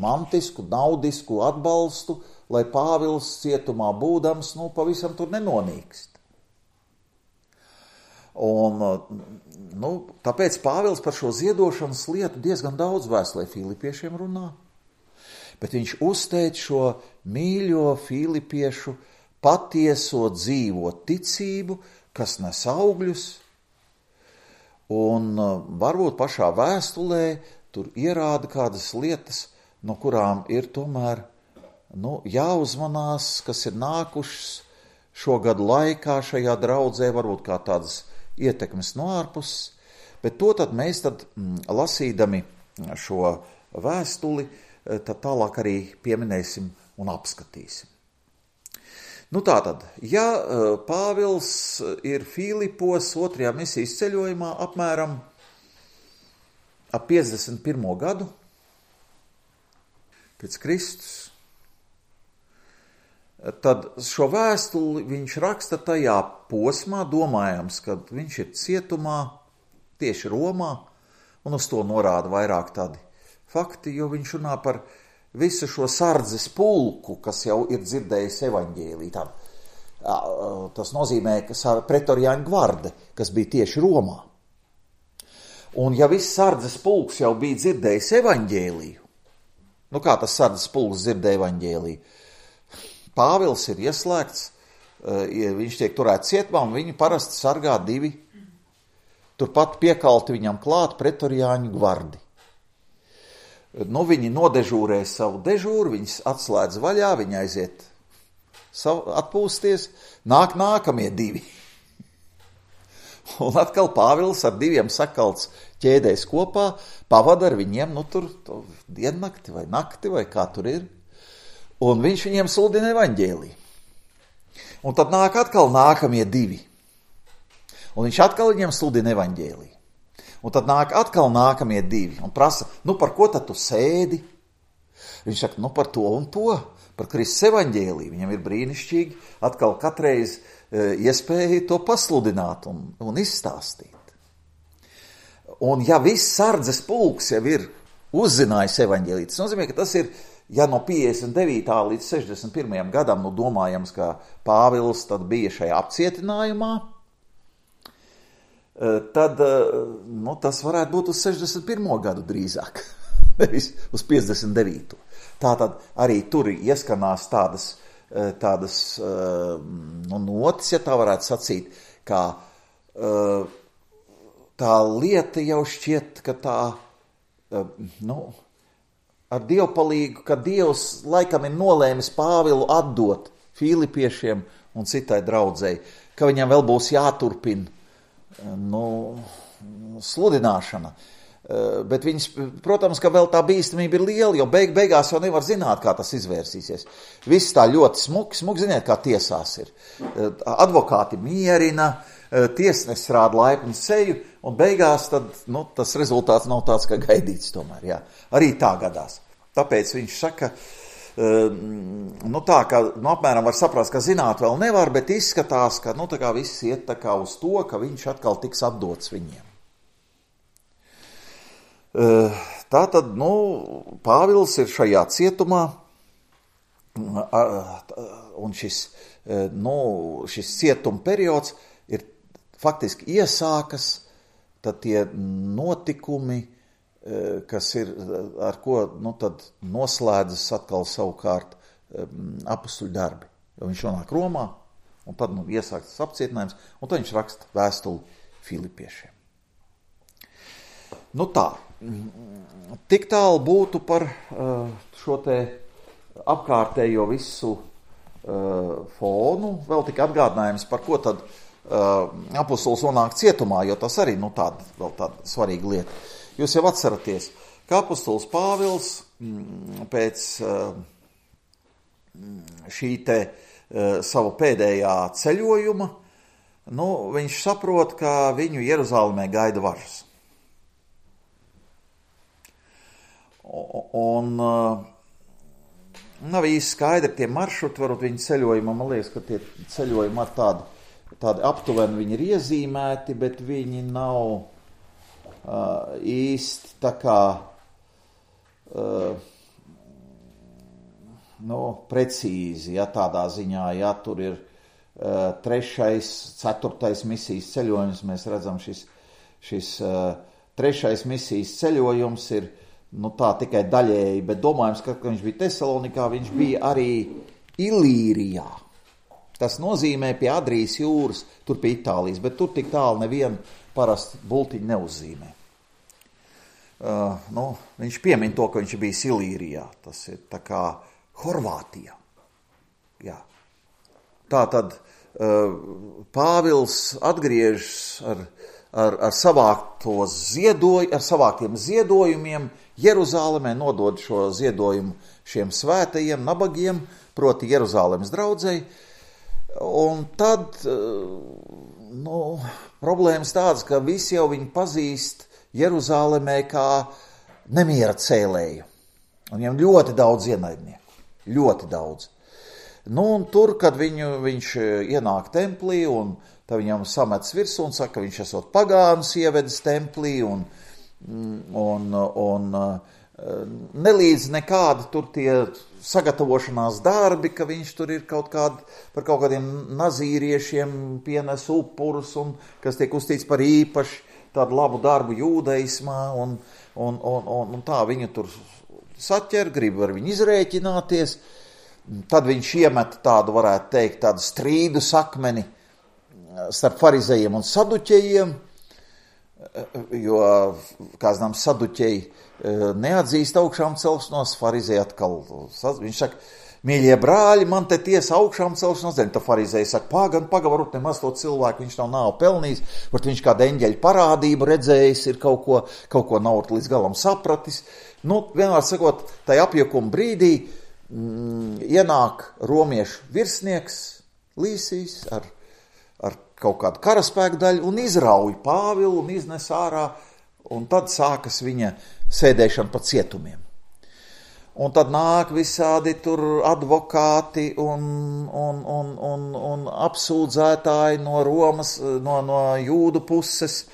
mantisku, naudisku atbalstu, lai Pāvils cietumā būdams, pavisam tur nenonīkst. Un, tāpēc Pāvils par šo ziedošanas lietu diezgan daudz vēstulē filipiešiem runā, bet viņš uzteic šo mīļo filipiešu patieso dzīvo ticību, kas nes augļus, un varbūt pašā vēstulē tur ierāda kādas lietas, no kurām ir tomēr jāuzmanās, kas ir nākušas šo gadu laikā šajā draudzē, varbūt kā tādas ietekmes no ārpuses, bet to tad mēs lasīdami šo vēstuli, tad tālāk arī pieminēsim un apskatīsim. Tātad, ja Pāvils ir Filipos 2. misijas ceļojumā apmēram ap 51. gadu pēc Kristus, tad šo vēstuli viņš raksta tajā posmā, domājams, kad viņš ir cietumā, tieši Romā, un uz to norāda vairāk tādi fakti, jo viņš runā par visu šo sardzes pulku, kas jau ir dzirdējis evaņģēlī. Tas nozīmē, ka pretoriāņu gvarde, kas bija tieši Romā. Un ja viss sardzes pulks jau bija dzirdējis evaņģēliju, kā tas sardzes pulks dzirdēja evaņģēliju? Pāvils ir ieslēgts, viņš tiek turēts cietumā, un viņu parasti sargā 2. Turpat piekalti viņam klāt pretoriāņu gvardi. Viņi nodežūrē savu dežūru, viņas atslēdz vaļā, viņi aiziet atpūsties, nāk nākamie 2. Un atkal Pāvils ar 2 sakalts ķēdēs kopā, pavada ar viņiem, tur diennakti vai nakti vai kā tur ir. Un viņš viņiem sludina evaņģēliju. Un tad nāk atkal nākamie 2. Un viņš atkal viņiem sludina evaņģēliju. Un tad nāk atkal nākamie 2 un prasa, par ko tad tu sēdi? Viņš saka, par to un to, par Kristus evaņģēliju. Viņam ir brīnišķīgi atkal katreiz iespēja to pasludināt un izstāstīt. Un ja viss sardzes pulks jau ir uzzinājis evaņģēliju, tas nozīmē, ka tas ir, ja no 59. līdz 61. gadam, domājams, ka Pāvils tad bija šajā apcietinājumā, tad tas varētu būt uz 61. gadu drīzāk, nevis uz 59. Tātad arī tur ieskanās tādas notis, ja tā varētu sacīt, kā tā lieta jau šķiet, ka tā, ar dievpalīgu, ka Dievs laikam ir nolēmis Pāvilu atdot Filipiešiem un citai draudzei, ka viņam vēl būs jāturpina sludināšana. Bet viņas, protams, ka vēl tā bīstamība ir liela, jo beigās jau nevar zināt, kā tas izvērsīsies. Viss tā ļoti smuki, ziniet, kā tiesās ir. Advokāti mierina, tiesnesis rāda laipnu seju, un beigās tad, tas rezultāts nav tāds, kā gaidīts tomēr, jā. Arī tā gadās. Tāpēc viņš saka, tā, ka apmēram var saprast, ka zināt vēl nevar, bet izskatās, ka tā kā viss iet tā kā uz to, ka viņš atkal tiks atdots viņiem. Tātad, Pāvils ir šajā cietumā, un šis cietuma periods ir faktiski iesākas, tad tie notikumi, kas ir, ar ko, tad noslēdzas atkal savukārt apustuļu darbi. Jo viņš nonāk Romā, un tad, iesāks tas apcietinājums, un tad viņš raksta vēstuli Filipiešiem. Tā, tik tālu būtu par šo te apkārtējo visu fonu, vēl tik atgādinājums, par ko tad apustulis nonāk cietumā, jo tas arī, tāda svarīga lieta. Jūs jau atceraties, ka apustulis Pāvils pēc šī te savu pēdējā ceļojuma, viņš saprot, ka viņu Jeruzalemē gaida važas. Un nav īsti skaidri tie maršruti, varbūt viņi ceļojumā, man liekas, ka tie ceļojumi ar tādi aptuveni viņi ir iezīmēti, bet viņi nav īsti tā kā precīzi, ja tādā ziņā, ja tur ir 3., 4. misijas ceļojums, mēs redzam šis 3. misijas ceļojums ir tā tikai daļēji, bet domājams, ka viņš bija Tesalonikā, viņš bija arī Ilīrijā. Tas nozīmē pie Adrijas jūras, tur pie Itālijas, bet tur tik tālu nevienu parasti bultiņu neuzzīmē. Viņš piemin to, ka viņš bija Ilīrijā. Tas ir tā kā Horvātijā. Jā. Tā tad Pāvils atgriežas ar savāktiem ziedojumiem Jeruzalemē, nodod šo ziedojumu šiem svētajiem nabagiem, proti Jeruzalemes draudzei, un tad problēmas tādas, ka visi jau viņu pazīst Jeruzalemē kā nemiera cēlēju, un viņam ļoti daudz ienaidnieku, ļoti daudz. Un tur, kad viņš ienāk templī, un tad viņam samets virsū un saka, ka viņš esot pagānus ievedis templī, un nelīdz nekādi tur tie sagatavošanās darbi, ka viņš tur ir par kaut kādiem nazīriešiem pienes upurus un kas tiek uzstīts par īpaši tādu labu darbu jūdaismā un tā viņu tur saķer, grib ar viņu izrēķināties. Tad viņš iemet tādu, varētu teikt, tādu strīdu sakmeni starp farizejiem un saduķejiem, jo, kā zinām, saduķeji neatzīst augšām celšanos, farizēji atkal, viņš saka, mīļie brāļi, man te tiesa augšām celšanos, tad farizēji saka, varbūt nemaz to cilvēku, viņš nav pelnījis, varbūt viņš kādu eņģeļu parādību redzējis, ir kaut ko nav līdz galam sapratis. Vienmēr sakot, tai apjukuma brīdī ienāk romiešu virsnieks Līsijs ar kaut kādu karaspēku daļu un izrauj Pāvilu un iznes ārā, un tad sākas viņa sēdēšana pa cietumiem. Un tad nāk visādi tur advokāti un apsūdzētāji no Romas, no jūdu puses,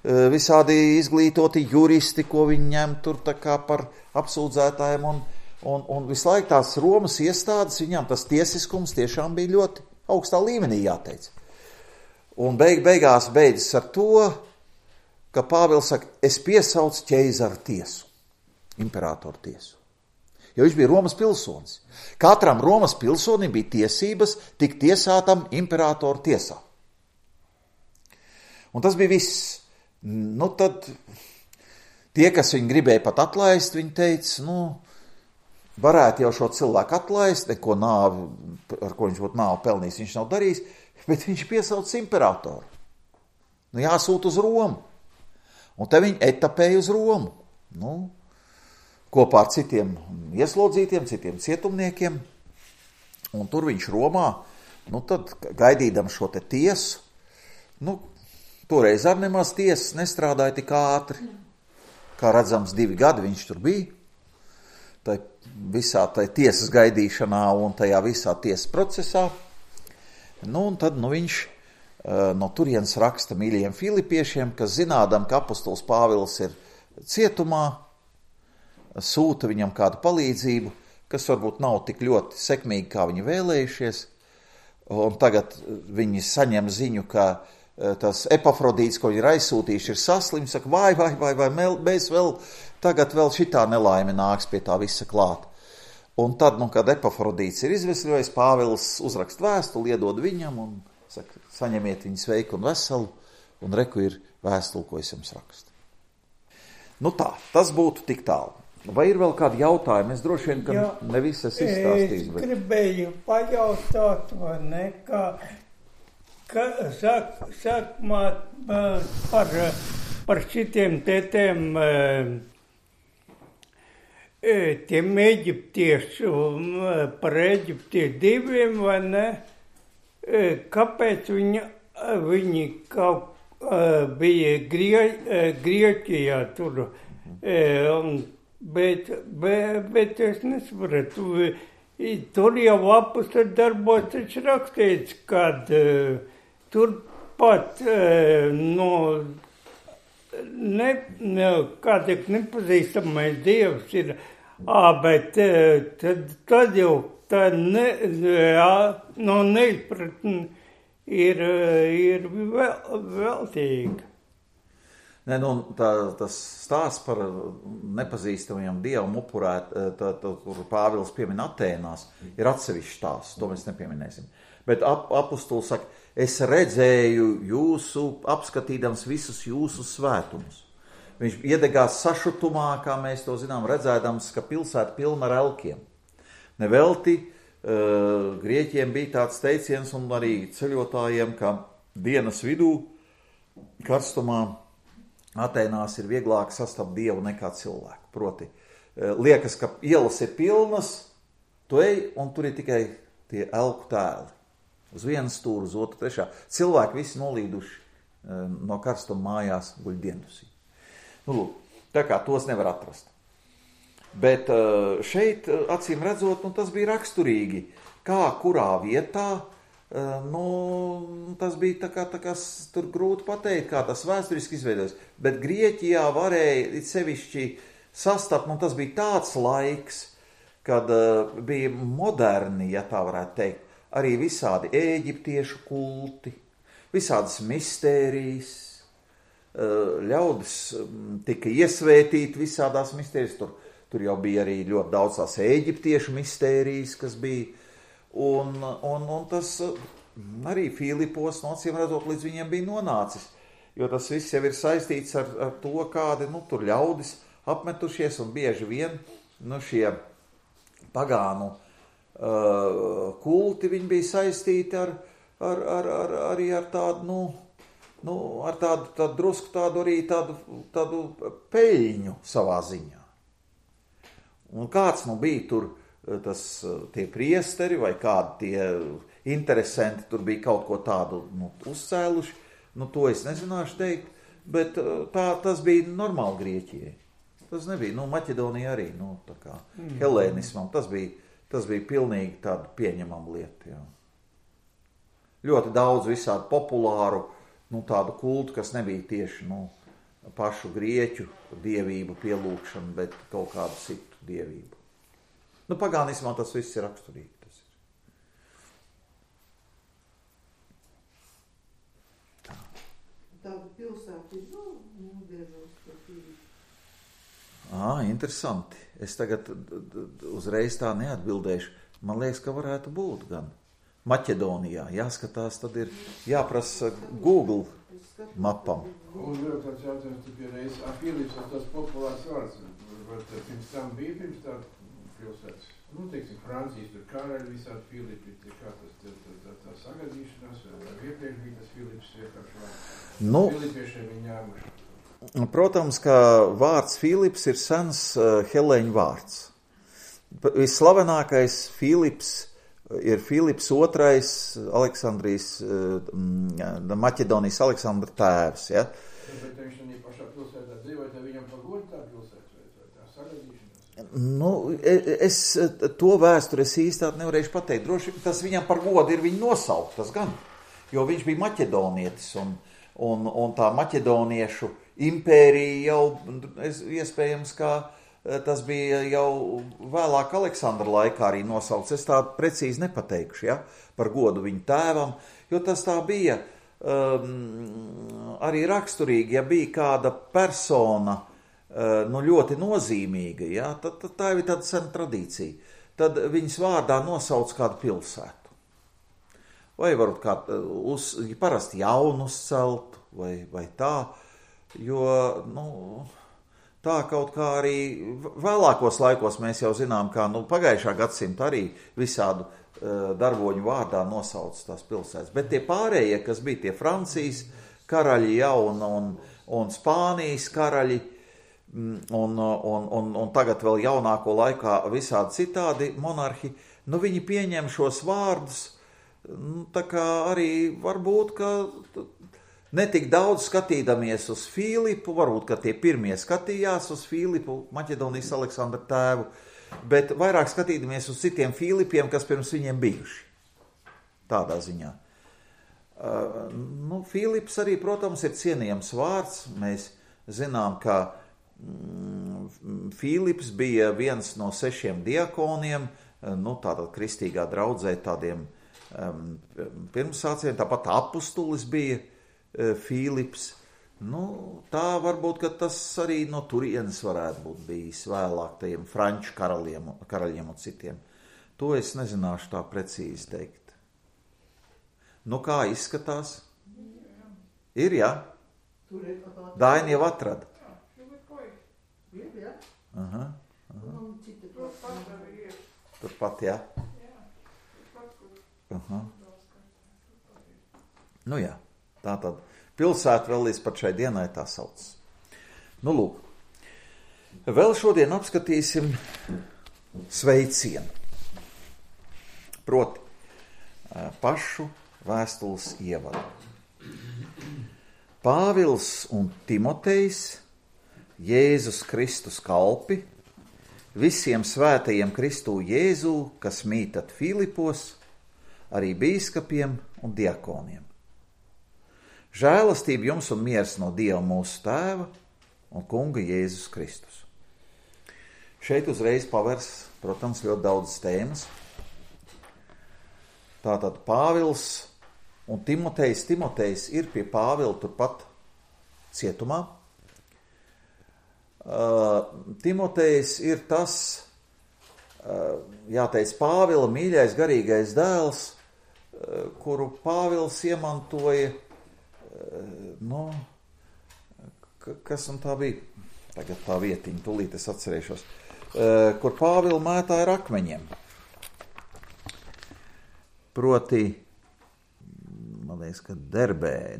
visādi izglītoti juristi, ko viņi ņem tur tā kā par apsūdzētājiem, un visu laiku tās Romas iestādes, viņām tas tiesiskums tiešām bija ļoti augstā līmenī jāteic. Un beigās beidzas ar to, ka Pāvils saka, es piesaucu ķeizaru tiesu, imperatoru tiesu. Jo viņš bija Romas pilsonis. Katram Romas pilsonim bija tiesības tikt tiesātam imperatoru tiesā. Un tas bija viss. Tad tie, kas viņu gribēja pat atlaist, viņi teica, varētu jau šo cilvēku atlaist, neko nāvi, ar ko viņš būtu nāvi pelnījis, viņš nav darījis, bet viņš piesauc imperatoru. Jāsūt uz Romu. Un te viņi etapēja uz Romu. Kopā ar citiem ieslodzītiem, citiem cietumniekiem. Un tur viņš Romā, tad gaidīdam šo te tiesu, toreiz ar nemaz tiesas nestrādāja tik ātri. Kā redzams, 2 gadi viņš tur bija. Tai visā tai tiesas gaidīšanā un tajā visā tiesas procesā. Un tad viņš no turienes raksta mīļajiem filipiešiem, kas zinādam, ka apostols Pāvils ir cietumā, sūta viņam kādu palīdzību, kas varbūt nav tik ļoti sekmīgi, kā viņi vēlējušies. Un tagad viņi saņem ziņu, ka tas Epafrodīts, ko viņi ir aizsūtījuši, ir saslims, saka, vai, mēs tagad vēl šitā nelaime nāks pie tā visa klāt. Un tad, kad Epafrodīts ir izveseļojis, Pāvils uzrakst vēstuli, iedod viņam un saka, saņemiet viņu sveiku un veselu, un reku ir vēstuli, ko es jums rakstu. Tā, tas būtu tik tālu. Vai ir vēl kādi jautājumi? Es droši vien, ka ne visas izstāstīs. Es gribēju pajautāt, vai ne, sākumā par šitiem tētiem, tiem eģiptiešu, par eģiptiešu diviem, vai ne, kāpēc viņi kaut bija Grieķijā tur, bet es nesapratu, tur jau apustuļu darbos taču rakstīts, kad turpat kādēļ nepazīstamais dievs ir, bet tad jau tā neizpratne ir veltīga. Tas stāsts par nepazīstamajiem dievam upurēt, kur Pāvils piemin Atēnās, ir atsevišķs stāsts, to mēs nepieminēsim. Bet apostols saka, es redzēju jūsu, apskatīdams visus jūsu svētumus. Viņš iedegās sašutumā, kā mēs to zinām, redzēdams, ka pilsēta pilna ar elkiem. Nevelti Grieķiem bija tāds teiciens un arī ceļotājiem, ka dienas vidū karstumā Atēnās ir vieglāk sastapt dievu nekā cilvēku. Proti, liekas, ka ielas ir pilnas, tu ej, un tur ir tikai tie elku tēli. Uz vienu stūru, uz otru, trešā. Cilvēki visi nolīduši no karstuma mājās guļ diendusī. Tā kā tos nevar atrast. Bet šeit, acīm redzot, tas bija raksturīgi, kā kurā vietā, tas bija tā kā tur grūti pateikt, kā tas vēsturiski izveidojas. Bet Grieķijā varēja, sevišķi sastapt, un tas bija tāds laiks, kad bija moderni, ja tā varētu teikt, arī visādi ēģiptiešu kulti, visādas mistērijas, ļaudis tika iesvētīti visādās mistērijas, tur jau bija arī ļoti daudz tās ēģiptiešu mistērijas, kas bija, un tas arī Filipos, no acīm redzot, līdz viņiem bija nonācis, jo tas viss jau ir saistīts ar to, kādi, tur ļaudis apmetušies, un bieži vien, šie pagānu kulti, viņi bija saistīti arī ar tādu, ar tādu drusku tādu arī tādu peļņu savā ziņā. Un kāds bija tur tie priesteri vai kādi tie interesanti tur bija kaut ko tādu uzcēluši, to es nezināšu teikt, bet tas bija normāli Grieķijai. Tas nebija, Maķedonija arī, tā kā helēnismam, tas bija pilnīgi tāda pieņemama lieta, jā. Ļoti daudz visādi populāru, tādu kultu, kas nebija tieši, pašu grieķu dievību pielūgšanu, bet kaut kādu citu dievību. Pagānismā tas viss ir raksturīgi. Tāda pilsēta ir, biežos par Filipu. Interesanti. Es tagad uzreiz tā neatbildēšu. Man liekas, ka varētu būt gan Maķedonijā. Jāskatās, tad ir jāprasa Google mapam. Un vēl tāds jautājums, tu pierreiz, Filips ir tas populārs vārds. Vai pirms tam bija pirms tā pilsētas? Teiksim, Francijas tur karaļi visādi Filipi, kā tā sagadīšanās, vai iepriekš bija tas Filips vienkārši vārds? Filipiešiem viņi ņēmuši. Protams, ka vārds Filips ir sens helēņu vārds. Visslavenākais Filips ir Filips II, Aleksandrijas, Maķedonijas Aleksandra tēvs, ja? Bet viņš arī pašā pilsētā dzīvoja, tad viņam par godu tā pilsēta, vai tā sagadīšanās? Es to vēsturi īstāt nevarēšu pateikt. Droši tas viņam par godu ir viņa nosaukt, tas gan, jo viņš bija maķedonietis, un tā maķedoniešu impērija jau, iespējams, kā tas bija jau vēlāk Aleksandra laikā arī nosaukts. Es tā precīzi nepateikšu, ja, par godu viņa tēvam, jo tas tā bija arī raksturīgi, ja bija kāda persona, ļoti nozīmīga, ja, tad tā ir tāda sena tradīcija. Tad viņas vārdā nosauc kādu pilsētu. Vai varbūt parasti jaunu uzcelt, vai tā, jo, tā kaut kā arī vēlākos laikos mēs jau zinām, kā pagājušā gadsimta arī visādu darboņu vārdā nosauc tās pilsētas. Bet tie pārējie, kas bija tie Francijas karaļi, ja, un Spānijas karaļi, un tagad vēl jaunāko laikā visādi citādi monarhi, viņi pieņem šos vārdus, tā kā arī varbūt, ka netik daudz skatīdamies uz Filipu, varbūt, ka tie pirmie skatījās uz Filipu, Maķedonijas Aleksandra tēvu, bet vairāk skatīdamies uz citiem Filipiem, kas pirms viņiem bijuši. Tādā ziņā. Filips arī, protams, ir cienījams vārds. Mēs zinām, ka Filips bija viens no 6 diakoniem, tātad kristīgā draudzē tādiem pirmsācējiem, tāpat apustulis bija Filips. Tā varbūt, ka tas arī no turienes varētu būt bijis vēlāk tajiem franču karaļiem un citiem. To es nezināšu tā precīzi teikt. Kā izskatās? Ir, jā? Daini jau atrada. Turpat, jā? Jā, tā tad pilsēta vēl līdz pat šai dienai tā sauc. Lūk, vēl šodien apskatīsim sveicienu. Proti, pašu vēstules ievadu. Pāvils un Timotejs, Jēzus Kristus kalpi, visiem svētajiem Kristū Jēzū, kas mītat Filipos, arī bīskapiem un diakoniem. Žēlastība jums un miers no Dieva mūsu Tēva un Kunga Jēzus Kristus. Šeit uzreiz pavērs, protams, ļoti daudz tēmas. Tātad Pāvils un Timotejs. Timotejs ir pie Pāvila turpat cietumā. Timotejs ir tas, jāteic, Pāvila mīļais garīgais dēls, kuru Pāvils iemantoja, kas un tā bija, tagad tā vietiņa, tūlīt es atcerēšos, kur Pāvila mētāja ar akmeņiem. Proti, man liekas, ka Derbē,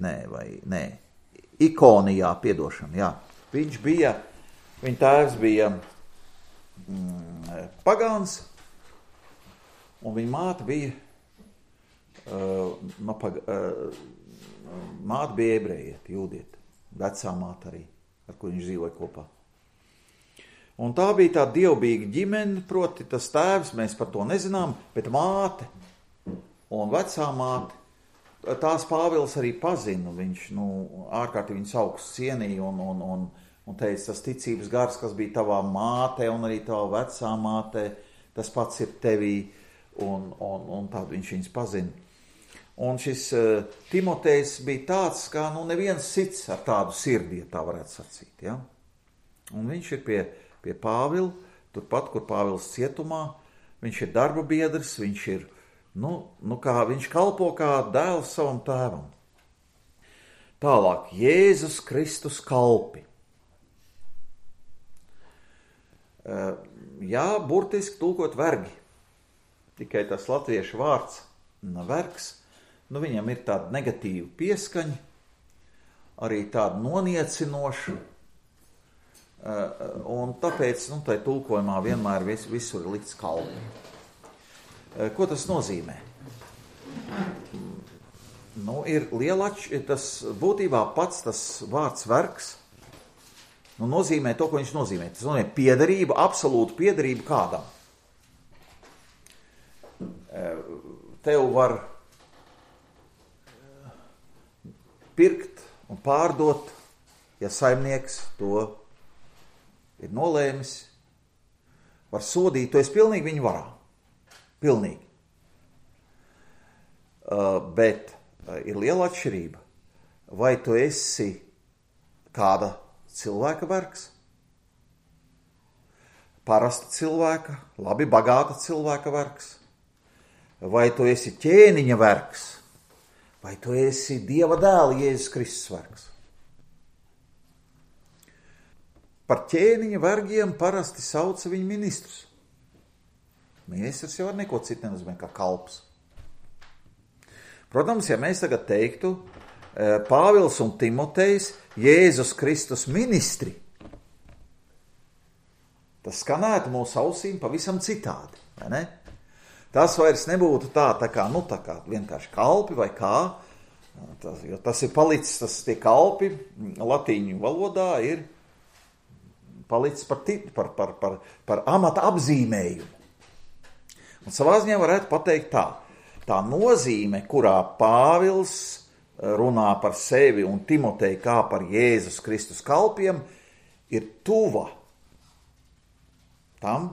Ikonijā, piedošana, jā. Viņa tēvs bija pagāns, un viņa māte bija, māte bija ebrejieti, jūdieti, vecā māte arī, ar ko viņš dzīvoja kopā. Un tā bija tā dievbijīga ģimene, proti tas tēvs, mēs par to nezinām, bet māte un vecā māte, tās Pāvils arī pazina, viņš, ārkārtīgi viņus augsts cienīja un teica, tas ticības gars, kas bija tavā mātē un arī tavā vecā mātē, tas pats ir tevī, un tādu viņš viņus pazina. Un šis Timotejs bija tāds, kā neviens cits ar tādu sirdi, ja tā varētu sacīt, ja? Un viņš ir pie Pāvila, turpat, kur Pāvils cietumā, viņš ir darba biedrs, viņš ir, viņš kalpo kā dēls savam tēvam. Tālāk, Jēzus Kristus kalpi. Jā, burtiski tulkot vergi, tikai tas latviešu vārds vergs, viņam ir tāda negatīva pieskaņa, arī tāda noniecinoša, un tāpēc, tai tulkojumā vienmēr visur ir likts kalpi. Ko tas nozīmē? Ir tas būtībā pats tas vārds vergs, nozīmē to, ko viņš nozīmē. Tas nozīmē piederību, absolūtu piederību kādam. Tev var pirkt un pārdot, ja saimnieks to ir nolēmis, var sodīt, tu esi pilnīgi viņu varā. Pilnīgi. Bet ir liela atšķirība. Vai tu esi kāda cilvēka vergs? Parasta cilvēka, labi bagāta cilvēka vergs? Vai tu esi ķēniņa vergs? Vai tu esi Dieva dēla Jēzus Kristus vergs? Par ķēniņa vergiem parasti sauca viņu ministrus. Ministrs jau ar neko citu nenozīmē kā kalps. Protams, ja mēs tagad teiktu Pāvils un Timotejs Jēzus Kristus ministri, tas skanētu mūsu ausīm pavisam citādi, vai ne? Tas vairs nebūtu tā kā vienkārši kalpi vai kā, jo tas ir palicis, tie kalpi latīņu valodā ir palicis par amata apzīmējumu. Un savā ziņā varētu pateikt tā nozīme, kurā Pāvils runā par sevi un Timoteju kā par Jēzus Kristus kalpiem, ir tuva tam,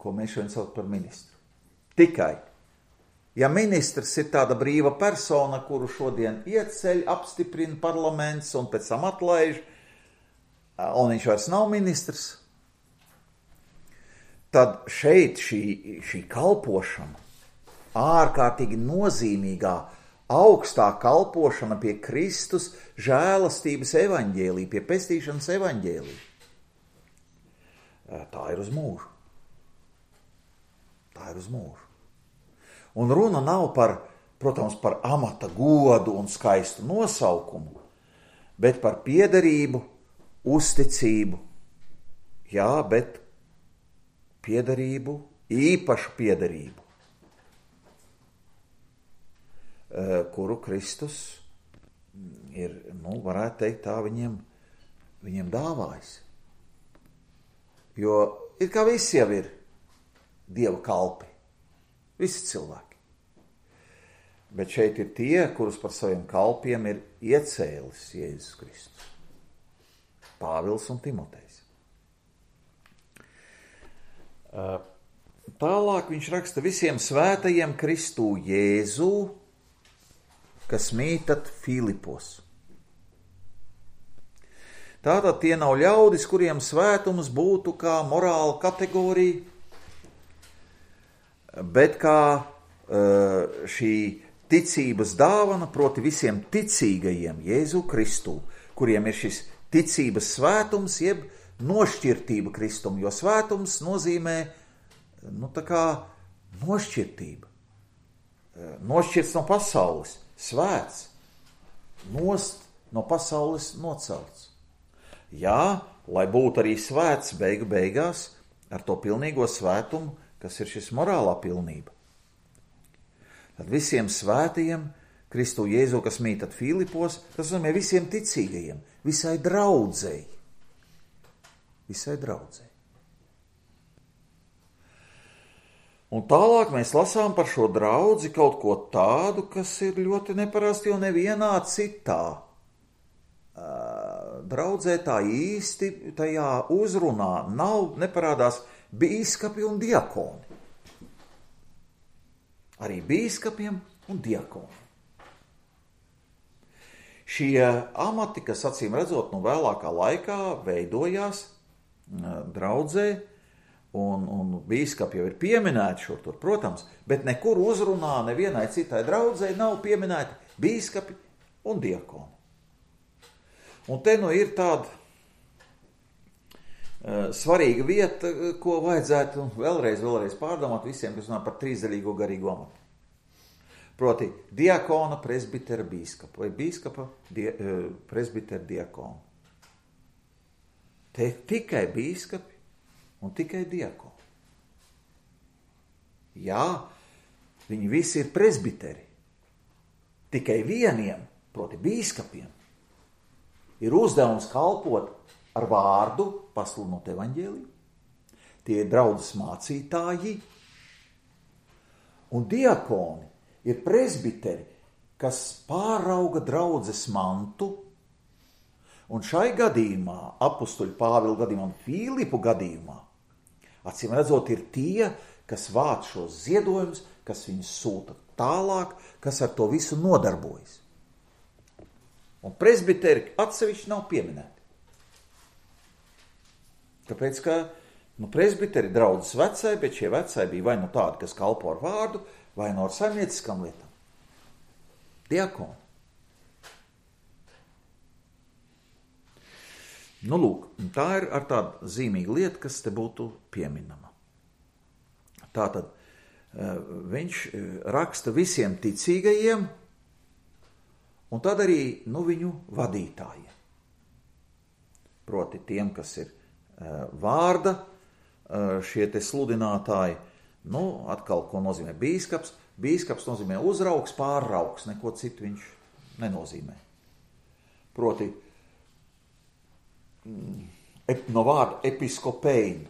ko mēs šodien sauc par ministru. Tikai, ja ministrs ir tāda brīva persona, kuru šodien ieceļ, apstiprina parlaments un pēc tam atlaiž, un viņš vairs nav ministrs, tad šeit šī kalpošana, ārkārtīgi nozīmīgā, augstā kalpošana pie Kristus žēlastības evaņģēlī, pie pestīšanas evaņģēlī, tā ir uz mūžu. Tā ir uz mūžu. Un runa nav protams, par amata godu un skaistu nosaukumu, bet par piederību, uzticību. Jā, bet piederību, īpašu piederību, kuru Kristus ir, varētu teikt tā, viņiem dāvājis. Jo it kā visi jau ir Dieva kalpi, visi cilvēki. Bet šeit ir tie, kurus par saviem kalpiem ir iecēlis Jēzus Kristus. Pāvils un Timotejs. Tālāk viņš raksta visiem svētajiem Kristū Jēzū, kas mītat Filipos. Tātad tie nav ļaudis, kuriem svētums būtu kā morāla kategorija, bet kā šī ticības dāvana, proti visiem ticīgajiem Jēzu Kristū, kuriem ir šis ticības svētums, jeb nošķirtība Kristum, jo svētums nozīmē, tā kā nošķirtība. Nošķirts no pasaules, svēts, nost no pasaules nocelts. Jā, lai būtu arī svēts beigās ar to pilnīgo svētumu, kas ir šis morālā pilnība. Tad visiem svētajiem Kristu Jēzu, kas mītat Filipos, tas nozīmē visiem ticīgajiem, visai draudzei. Visai draudzei. Un tālāk mēs lasām par šo draudzi kaut ko tādu, kas ir ļoti neparasti, jo nevienā citā draudzē tā īsti tajā uzrunā neparādās bīskapi un diakoni. Arī bīskapiem un diakoniem. Šie amati, kas acīm redzot vēlākā laikā veidojās draudzē, un bīskapi jau ir pieminēti šur tur, protams, bet nekur uzrunā nevienai citai draudzē nav pieminēti bīskapi un diakoni. Un te ir tāda svarīga vieta, ko vajadzētu vēlreiz pārdomāt visiem, kas runā par trīsdaļīgo garīgo amatu. Proti diakona, presbitera, bīskapa vai bīskapa, presbitera, diakona. Te tikai bīskapi un tikai diakoni. Jā, viņi visi ir presbiteri. Tikai vieniem, proti bīskapiem, ir uzdevums kalpot ar vārdu, pasludinot evaņģēliju. Tie ir draudzes mācītāji. Un diakoni ir presbiteri, kas pārauga draudzes mantu. Un šai gadījumā, apustuļu Pāvila gadījumā un Filipu gadījumā, acīm redzot, ir tie, kas vāc šos ziedojumus, kas viņus sūta tālāk, kas ar to visu nodarbojas. Un presbiteri atsevišķi nav pieminēti. Tāpēc, ka presbiteri draudzes vecai, bet šie vecai bija vai tādi, kas kalpo ar vārdu, vai ar saimnieciskām lietām. Diakoni. Lūk, tā ir ar tādu zīmīgu lietu, kas te būtu pieminama. Tātad viņš raksta visiem ticīgajiem, un tad arī viņu vadītājiem. Proti tiem, kas ir vārda, šie te sludinātāji, atkal, ko nozīmē bīskaps. Bīskaps nozīmē uzraugs, pārraugs, neko citu viņš nenozīmē. Proti, no vārda episkopein,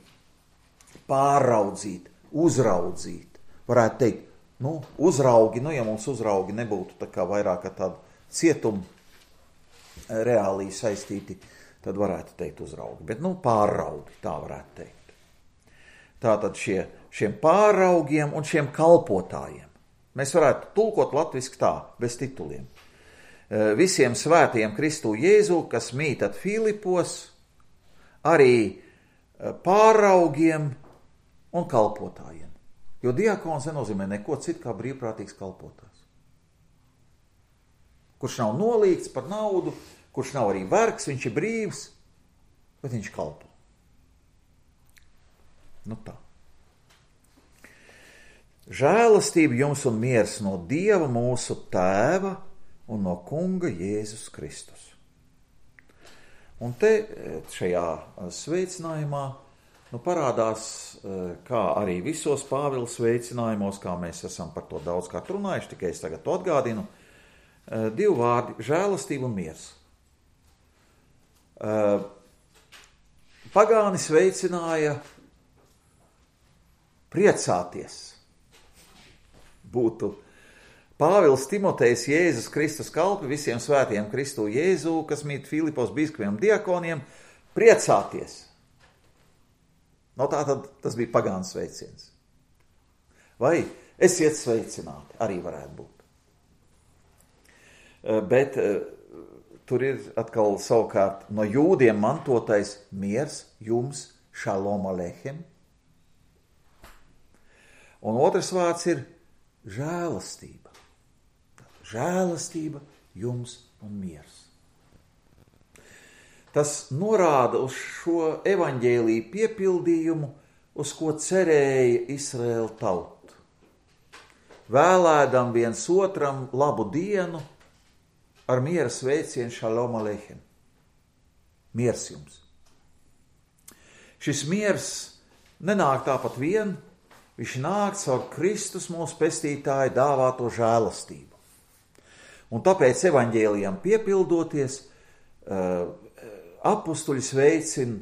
pāraudzīt, uzraudzīt. Varētu teikt, uzraugi, ja mums uzraugi nebūtu tā kā vairāk ar tādu cietumu reālī saistīti, tad varētu teikt uzraugi. Bet, pāraugi, tā varētu teikt. Tātad šiem pāraugiem un šiem kalpotājiem. Mēs varētu tulkot latviski tā, bez tituliem. Visiem svētajiem Kristu Jēzu, kas mītat Filipos, arī pāraugiem un kalpotājiem. Jo diakons nenozīmē neko citu kā brīvprātīgs kalpotājs. Kurš nav nolīgts par naudu, kurš nav arī vergs, viņš ir brīvs, bet viņš kalpo. Tā. Žēlastība jums un miers no Dieva mūsu Tēva un no Kunga Jēzus Kristus. Un te šajā sveicinājumā parādās, kā arī visos Pāvila sveicinājumos, kā mēs esam par to daudzkārt runājuši, tikai es tagad to atgādinu, divi vārdi – žēlastība un miers. Pagāni sveicināja priecāties. Būtu Pāvils Timotejs Jēzus Kristus kalpi visiem svētiem Kristu Jēzu, kas mīt Filipos bīskapiem un diakoniem, priecāties. No tā tad tas bija pagānu sveiciens. Vai esiet sveicināti, arī varētu būt. Bet tur ir atkal savukārt no jūdiem mantotais miers jums, šalom aleichem. Un otrs vārds ir žēlastība. Žēlastība jums un miers. Tas norāda uz šo evaņģēliju piepildījumu, uz ko cerēja Izraēla tauta. Vēlēdam viens otram labu dienu ar miera sveicienu šalom aleichem. Miers jums. Šis miers nenāk tāpat vien, viņš nāk caur Kristus mūsu pestītāju dāvāto žēlastību. Un tāpēc evaņģēlijam piepildoties, apustuļi sveicina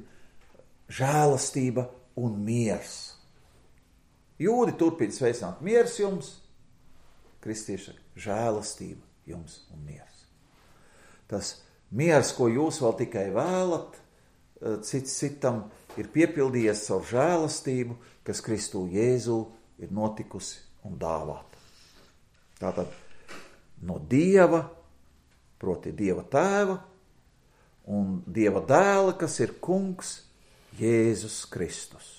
žēlastība un miers. Jūdi turpina sveicināt miers jums, kristieši žēlastība jums un miers. Tas miers, ko jūs vēl tikai vēlat, cits citam ir piepildījies caur žēlastību, kas Kristū Jēzū ir notikusi un dāvāta. Tātad no Dieva, proti Dieva tēva un Dieva dēla, kas ir kungs Jēzus Kristus.